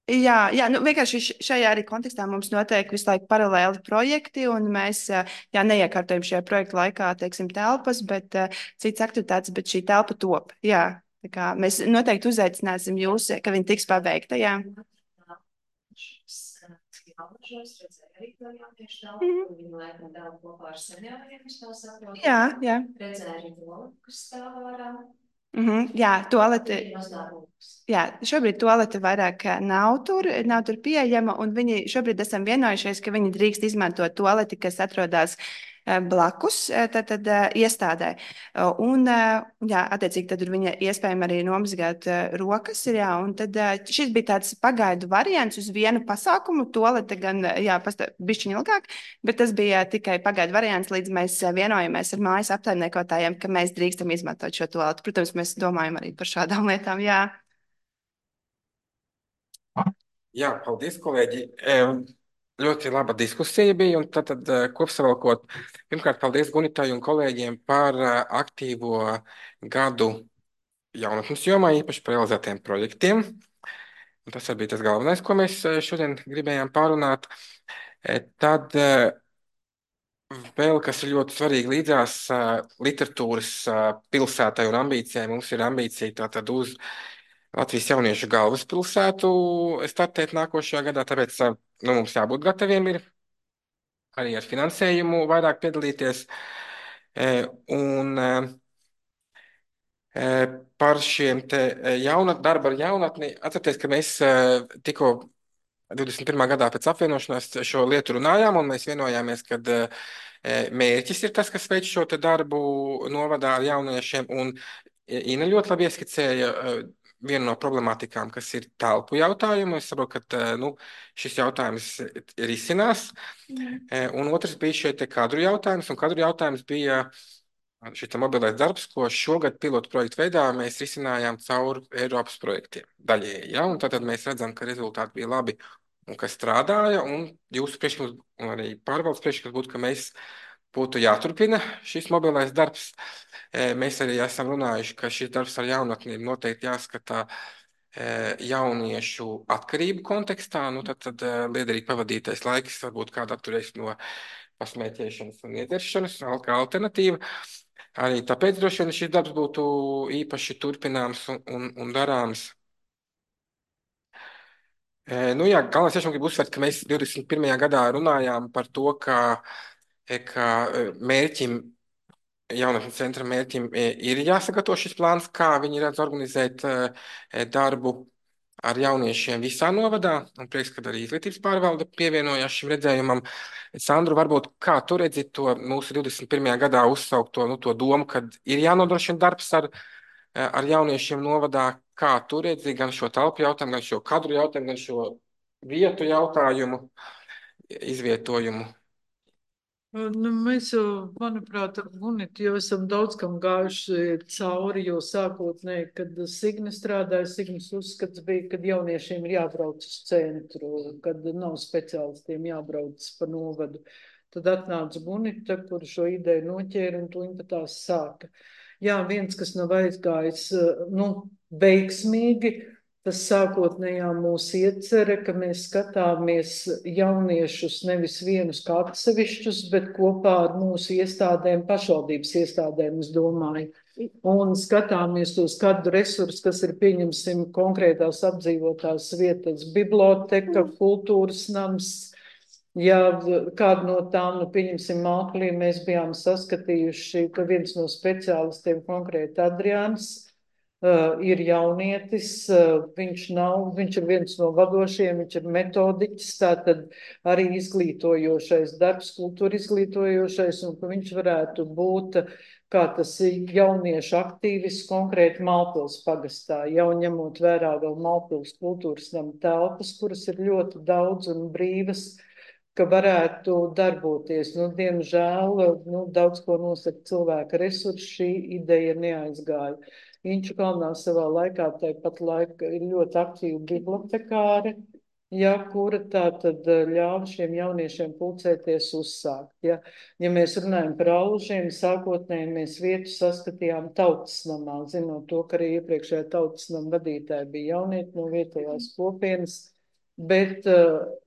Jā, vienkārši šajā arī kontekstā mums notiek visu laiku paralēli projekti, un mēs neiekārtojam šajā projekta laikā, teiksim, telpas, bet citas aktivitātes, bet šī telpa top. Jā, tā kā mēs noteikti uzaicināsim jūs, ka viņi tiks pabeigta, jā. Jā. Redzēju to, kas stāv ārā. Jā, toalete. Jā, šobrīd toalete vairāk nav tur pieejama, un viņi šobrīd esam vienojušies, ka viņi drīkst izmantot toaleti, kas atrodas blakus tad iestādē. Un, jā, attiecīgi, tad viņa iespējami arī nomazgāt rokas. Jā, un tad šis bija tāds pagaidu variants uz vienu pasākumu. Toalete gan, jā, bišķiņ ilgāk, bet tas bija tikai pagaidu variants, līdz mēs vienojamies ar mājas apsaimniekotājiem, ka mēs drīkstam izmantot šo toaletu. Protams, mēs domājam arī par šādām lietām, jā. Jā, paldies, kolēģi. Ļoti laba diskusija bija, un tad kopsavilkot, pirmkārt, paldies Gunitai un kolēģiem par aktīvo gadu jaunatnes jomā, īpaši par realizētiem projektiem. Un tas arī bija tas galvenais, ko mēs šodien gribējām pārunāt. Tad vēl, kas ir ļoti svarīgi līdzās literatūras pilsētai un ambīcijai, mums ir ambīcija tātad uz Latvijas jauniešu galvaspilsētu startēt nākošajā gadā, tāpēc mums jābūt gataviem ir arī ar finansējumu vairāk piedalīties. Un par šiem te darba ar jaunatni, atcerieties, ka mēs tikko 21. gadā pēc apvienošanās šo lietu runājām, un mēs vienojāmies, ka mērķis ir tas, kas veic šo te darbu novadā ar jauniešiem, un Ina ļoti labi ieskicēja vienu no problemātikām, kas ir telpu jautājumu. Es saprotu, ka šis jautājums risinās. Un otrs bija šie te kadru jautājums, un kadru jautājums bija šis mobilais darbs, ko šogad pilotu projektu veidā mēs risinājām caur Eiropas projektiem daļēji. Ja? Un tad mēs redzam, ka rezultāti bija labi un kas strādāja, un jūsu priekšlikums, un arī pārvaldes priekšlikums būtu, ka mēs būtu jāturpina šis mobilais darbs. Mēs arī esam runājuši, ka šis darbs ar jaunatniem noteikti jāskatā jauniešu atkarību kontekstā. Tad liederīgi pavadītais laiks varbūt kāda atturēs no pasmēķēšanas un iedzeršanas, kā alternatīva. Arī tāpēc droši vien šis darbs būtu īpaši turpināms un darāms. Galvenais tiešām gribu uzsvērt, ka mēs 21. gadā runājām par to, ka mērķim, jaunatnes centra mērķim ir jāsagatavo šis plāns, kā viņi redz organizēt darbu ar jauniešiem visā novadā, un prieks, ka arī izglītības pārvalde pievienojās šim redzējumam. Sandru, varbūt kā tu redzi to mūsu 21. gadā uzsaukto to domu, kad ir jānodrošina darbs ar jauniešiem novadā, kā tu redzi gan šo telpu jautājumu, gan šo kadru jautājumu, gan šo vietu jautājumu, izvietojumu? Mēs jau, manuprāt, ar Gunitu jau esam daudz kam gājuši cauri, jo sākotnēji, kad Signe strādāja, Signes uzskats bija, kad jauniešiem ir jābrauc uz centru, kad nav speciālistiem jābrauc pa novadu. Tad atnāca Gunita, kur šo ideju noķēra un tuņi pat tās sāka. Jā, viens, kas nav aizgājis, veiksmīgi, tas sākotnējā mūsu iecerē, ka mēs skatāmies jauniešus nevis vienus kā atsevišķus, bet kopā ar mūsu iestādēm, pašvaldības iestādēm, es domāju. Un skatāmies tos kādu resursu, kas ir, pieņemsim, konkrētās apdzīvotās vietas, biblioteka, kultūras nams. Ja kādu no tām, pieņemsim, Māklī, mēs bijām saskatījuši, ka viens no speciālistiem, konkrēti Adriāns, ir jaunietis, viņš ir viens no vadošiem, viņš ir metodiķis, tātad arī izglītojošais darbs, kultūra izglītojošais, un ka viņš varētu būt kā tas jauniešu aktīvis konkrēti Malpils pagastā, jau ņemot vērā vēl Malpils kultūras nama telpas, kuras ir ļoti daudz un brīvas, ka varētu darboties. Diemžēl, daudz ko nosaka cilvēka resursi, šī ideja neaizgāja. Inču kalnā savā laikā tāpat laika ir ļoti aktīva bibliotekāre, kura tā tad ļāva šiem jauniešiem pulcēties uzsākt. Ja mēs runājam par Alžiem, sākotnēji mēs vietu saskatījām Tautas namā, zinot to, ka arī iepriekšējā Tautas nama vadītāja bija jaunieti no vietējās kopienas, bet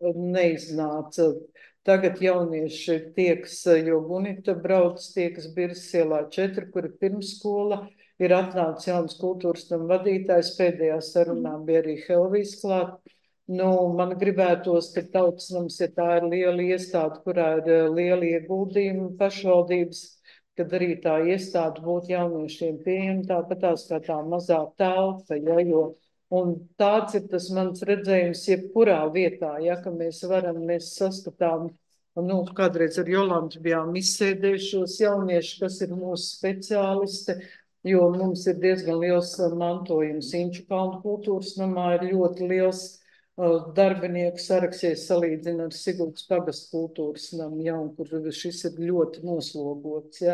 neiznāca. Tagad jaunieši tieks, jo Gunita brauc, tiekas Birzas ielā 4, kur ir pirmskola, ir atnācis jauns kultūras nama vadītājs, pēdējā sarunā bija arī Helvijas klāt. Man gribētos, ka Tautas nams, ja tā ir liela iestāde, kurā ir liela ieguldījuma pašvaldības, kad arī tā iestāde būtu jauniešiem pieejama, tāpatās kā tā mazā telpa, un tāds ir tas mans redzējums jebkurā vietā, ka mēs saskatām, kādreiz ar Jolantu bijām izsēdējušos jaunieši, kas ir mūsu speciālisti, jo mums ir diezgan liels mantojums. Inču kalnu kultūras namā ir ļoti liels darbinieku saraksts, salīdzina ar Siguldas pagastu kultūras namu, un kur šis ir ļoti noslogots.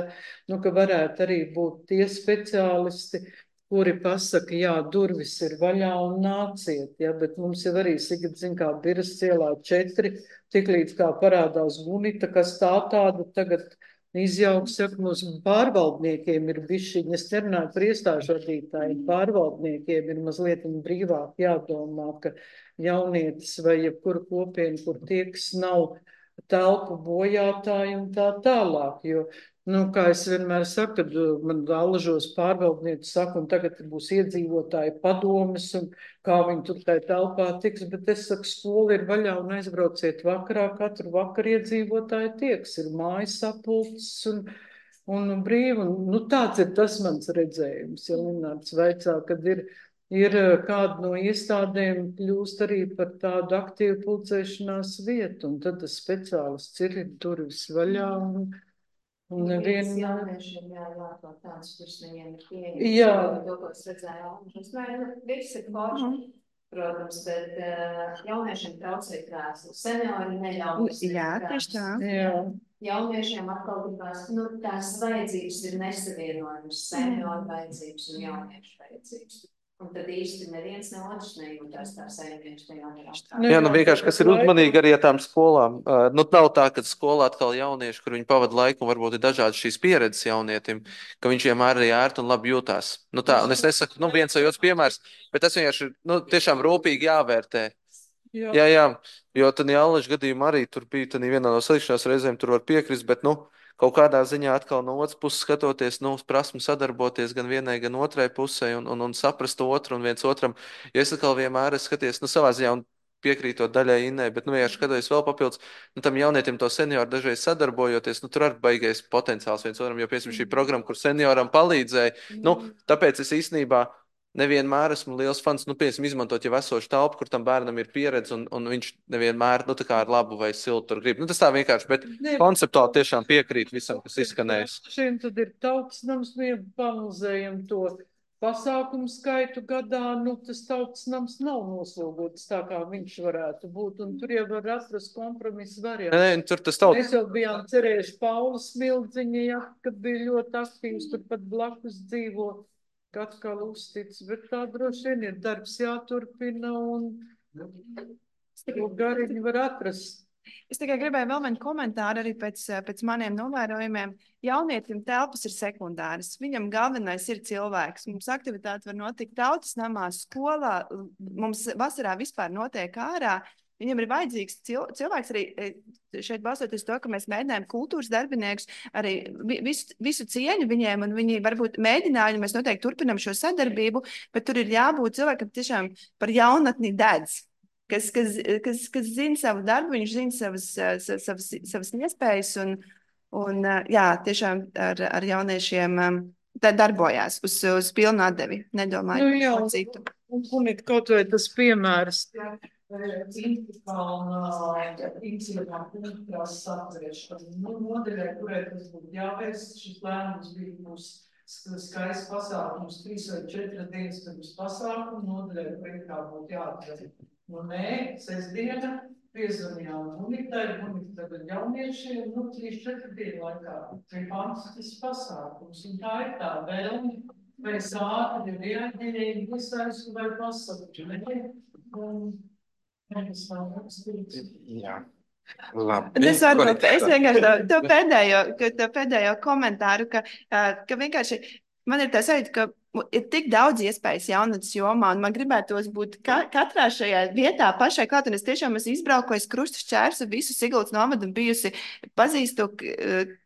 Ka varētu arī būt tie speciālisti, kuri pasaka, jā, durvis ir vaļā un nāciet, ja, bet mums jau arī Sigrid, zin, kā Biras cielā 4, tiklīdz kā parādās Gunita, kas tāda tagad izjauks, saka, mums pārvaldniekiem ir bišķiņi, es nerunāju par iestāžu vadītājiem, pārvaldniekiem ir mazliet brīvāk jādomā, ka jaunietis vai jebkura kopiena, kur tieks nav telpu bojātāji un tā tālāk, jo, kā es vienmēr saku, kad man Allažos pārvaldnieci saka, un tagad būs iedzīvotāji padomes, un kā viņi tur tajā telpā tiks, bet es saku, skola ir vaļā un aizbrauciet vakarā, katru vakaru iedzīvotāji tieks, ir mājas sapulces un brīvi, un tāds ir tas mans redzējums, ja Linārs vaicā, kad ir kāda no iestādēm kļūst arī par tādu aktīvu pulcēšanās vietu, un tad tas speciālists ir durvis vaļā, un nevienu... Jauniešiem jāatklāt tāds, kurš viņiem ir pieejams. Jā. To, ko es redzēju, visi ir forši, protams, bet jauniešiem traucē krēslu. Seniori neļaujas. Jā, tieši tā. Jā. Jauniešiem atkal tās vajadzības ir nesavienojamas, senioru vajadzības un jauniešu vajadzības. Un tad īsti neviens ne otrs nejūtās tā saimnieks tajā jautājumā. Jā, vienkārši, kas ir uzmanīgi arī ar tām skolām. Nav tā, ka skolā atkal jaunieši, kur viņi pavada laiku, un varbūt ir dažādas šīs pieredzes jaunietim, ka viņš vienmēr arī ērti un labi jūtās. Tā, un es nesaku, viens vai otrs piemērs, bet tas vienkārši ir, tiešām rūpīgi jāvērtē. Jā, jo tad Jālaža gadījumā arī tur bija vienā no salikšanās reizēm, tur var piekrist, bet, kaut kādā ziņā atkal no otras puses skatoties, uz prasmu sadarboties gan vienai, gan otrai pusē un saprast otru un viens otram. Jo es atkal vienmēr skaties, savā ziņā un piekrītot daļai Innai, bet, vienkārši skatoties vēl papildus, tam jaunietim to senioru dažreiz sadarbojoties, tur arī baigais potenciāls viens otram, jo, piemēram, šī programma, kur senioram palīdzēja, tāpēc es īstenībā nevienmēr esmu liels fans, piemēram, izmantot jau esošu telpu, kur tam bērnam ir pieredze, un viņš nevienmēr, tā kā ar labu vai siltu tur grib. Tas tā vienkārši, bet konceptuāli tiešām piekrīt visam, kas izskanējis. Šiem tad ir tautas nams, panalizējam to pasākumu skaitu gadā, tas tautas nams nav noslogots tā, kā viņš varētu būt, un tur jau var atrast kompromisu variantu. Nē, tur tas tautas. Mēs jau bijām cerējuši Paula Smildziņa, ja, kad bija ļoti aktīvs, tur pat blakus dzīvo. Atkal uztic, bet tā droši vien ir darbs jāturpina un gariņu var atrast. Es tikai gribēju vēl vienu komentāru arī pēc maniem novērojumiem. Jaunietim telpas ir sekundāras. Viņam galvenais ir cilvēks. Mums aktivitāte var notikt tautas namā, skolā. Mums vasarā vispār notiek ārā. Viņam ir vajadzīgs cilvēks arī šeit balstoties to, ka mēs mēģinājām kultūras darbiniekus, arī visu cieņu viņiem, un viņi varbūt mēģināja, mēs noteikti turpinam šo sadarbību, bet tur ir jābūt cilvēkam tiešām par jaunatni dedz. Kas zina savu darbu, viņš zina savas iespējas, un jā, tiešām ar jauniešiem darbojās uz pilnu atdevi. Nedomāju par citu. Un ir kaut vai tas piemērs. Nodeļai, kurai tas būtu jāvērst, šis lēmums būs skaists pasākums, 3 vai 4 dienas pirms pasākuma, nodeļai, kurai kā būtu jāatver. Nē, sestdiena, piezvanījām Munitai, Munita tagad jauniešiem, 3-4 dienu laikā. Ir fantastisks pasākums, un tā ir tā vēlme, vai sākti ir reaģēji, iesaistu vai pasakti. Jā, labi. Es vienkārši to pēdējo komentāru, ka vienkārši man ir tā sajūta, ka ir tik daudz iespējas jaunatnes jomā, un man gribētos būt katrā šajā vietā pašai klāt, un es tiešām esmu izbraukojis krustu šķērsu visu Siguldas novadu un bijusi pazīstu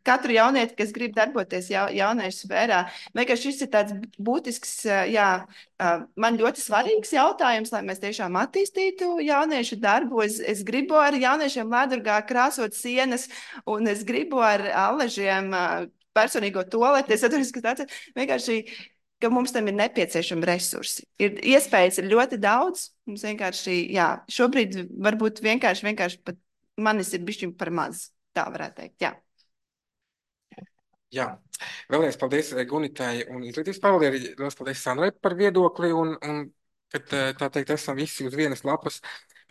katru jaunieti, kas grib darboties jauniešu sfērā. Vienkārši šis ir tāds būtisks, man ļoti svarīgs jautājums, lai mēs tiešām attīstītu jauniešu darbu. Es gribu ar jauniešiem Lēdurgā krāsot sienas, un es gribu ar Allažiem personīgo toleti. Es atceros, ka tāds vienkārši, ka mums tam ir nepieciešami resursi. Iespējas ir ļoti daudz. Mums vienkārši, šobrīd varbūt vienkārši pat manis ir bišķiņ par maz. Tā varētu teikt, jā. Jā, vēlreiz paldies Gunitai un izglītības pārvaldei, arī liels paldies Sandrai par viedokli, un kad tā teikt, esam visi uz vienas lapas.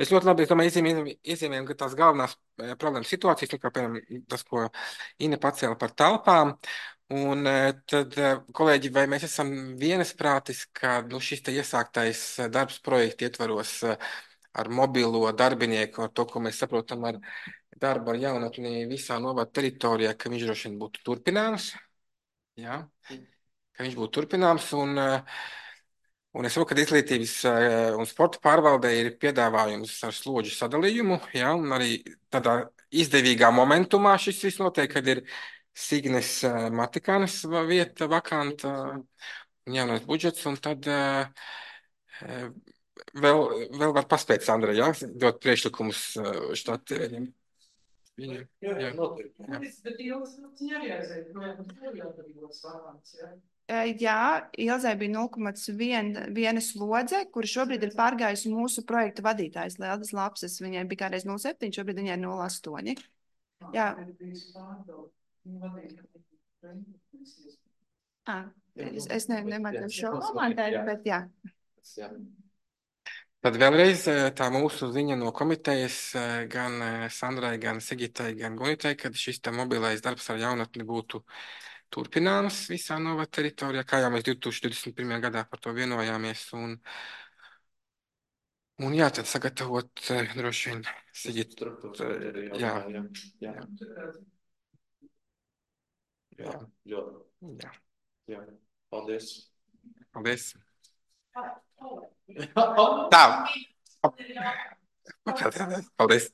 Mēs ļoti labi, es domāju, iezīmējam, ka tās galvenās problēmas situācijas, kā piemēram tas, ko Ine pacēla par telpām, Un tad, kolēģi, vai mēs esam vienasprātis, ka šis te iesāktais darbs projekta ietvaros ar mobilo darbinieku, ar to, ko mēs saprotam ar darbu ar jaunatni visā novada teritorijā, ka viņš droši vien būtu turpināms? Jā, ka viņš būtu turpināms. Un es saprotu, ka izglītības un sporta pārvaldē ir piedāvājums ar slodžu sadalījumu, ja, un arī tādā izdevīgā momentumā šis viss notiek, kad ir Signes Matikānas vieta vakanta un jaunais budžets, un tad vēl var paspēt, Sandra, ja, dot priekšlikumus štatiem. Jā, Jā, Ilzai bija 0,1 slodze, kur šobrīd ir pārgājusi mūsu projekta vadītājs Lieldas Lapses. Viņai bija kādreiz 0,7, šobrīd viņai ir 0,8. Jā. Es nemācu šo komentēt, bet jā. Tad vēlreiz tā mūsu ziņa no komitejas gan Sandrai, gan Sigitai, gan Gunitai, kad šis te mobilais darbs ar jaunatni būtu turpināms visā novada teritorijā, kā jau mēs 2021. gadā par to vienojāmies. Un jā, tad sagatavot droši vien Sigita. Jā. Paldies. Paldies. Tā. Paldies.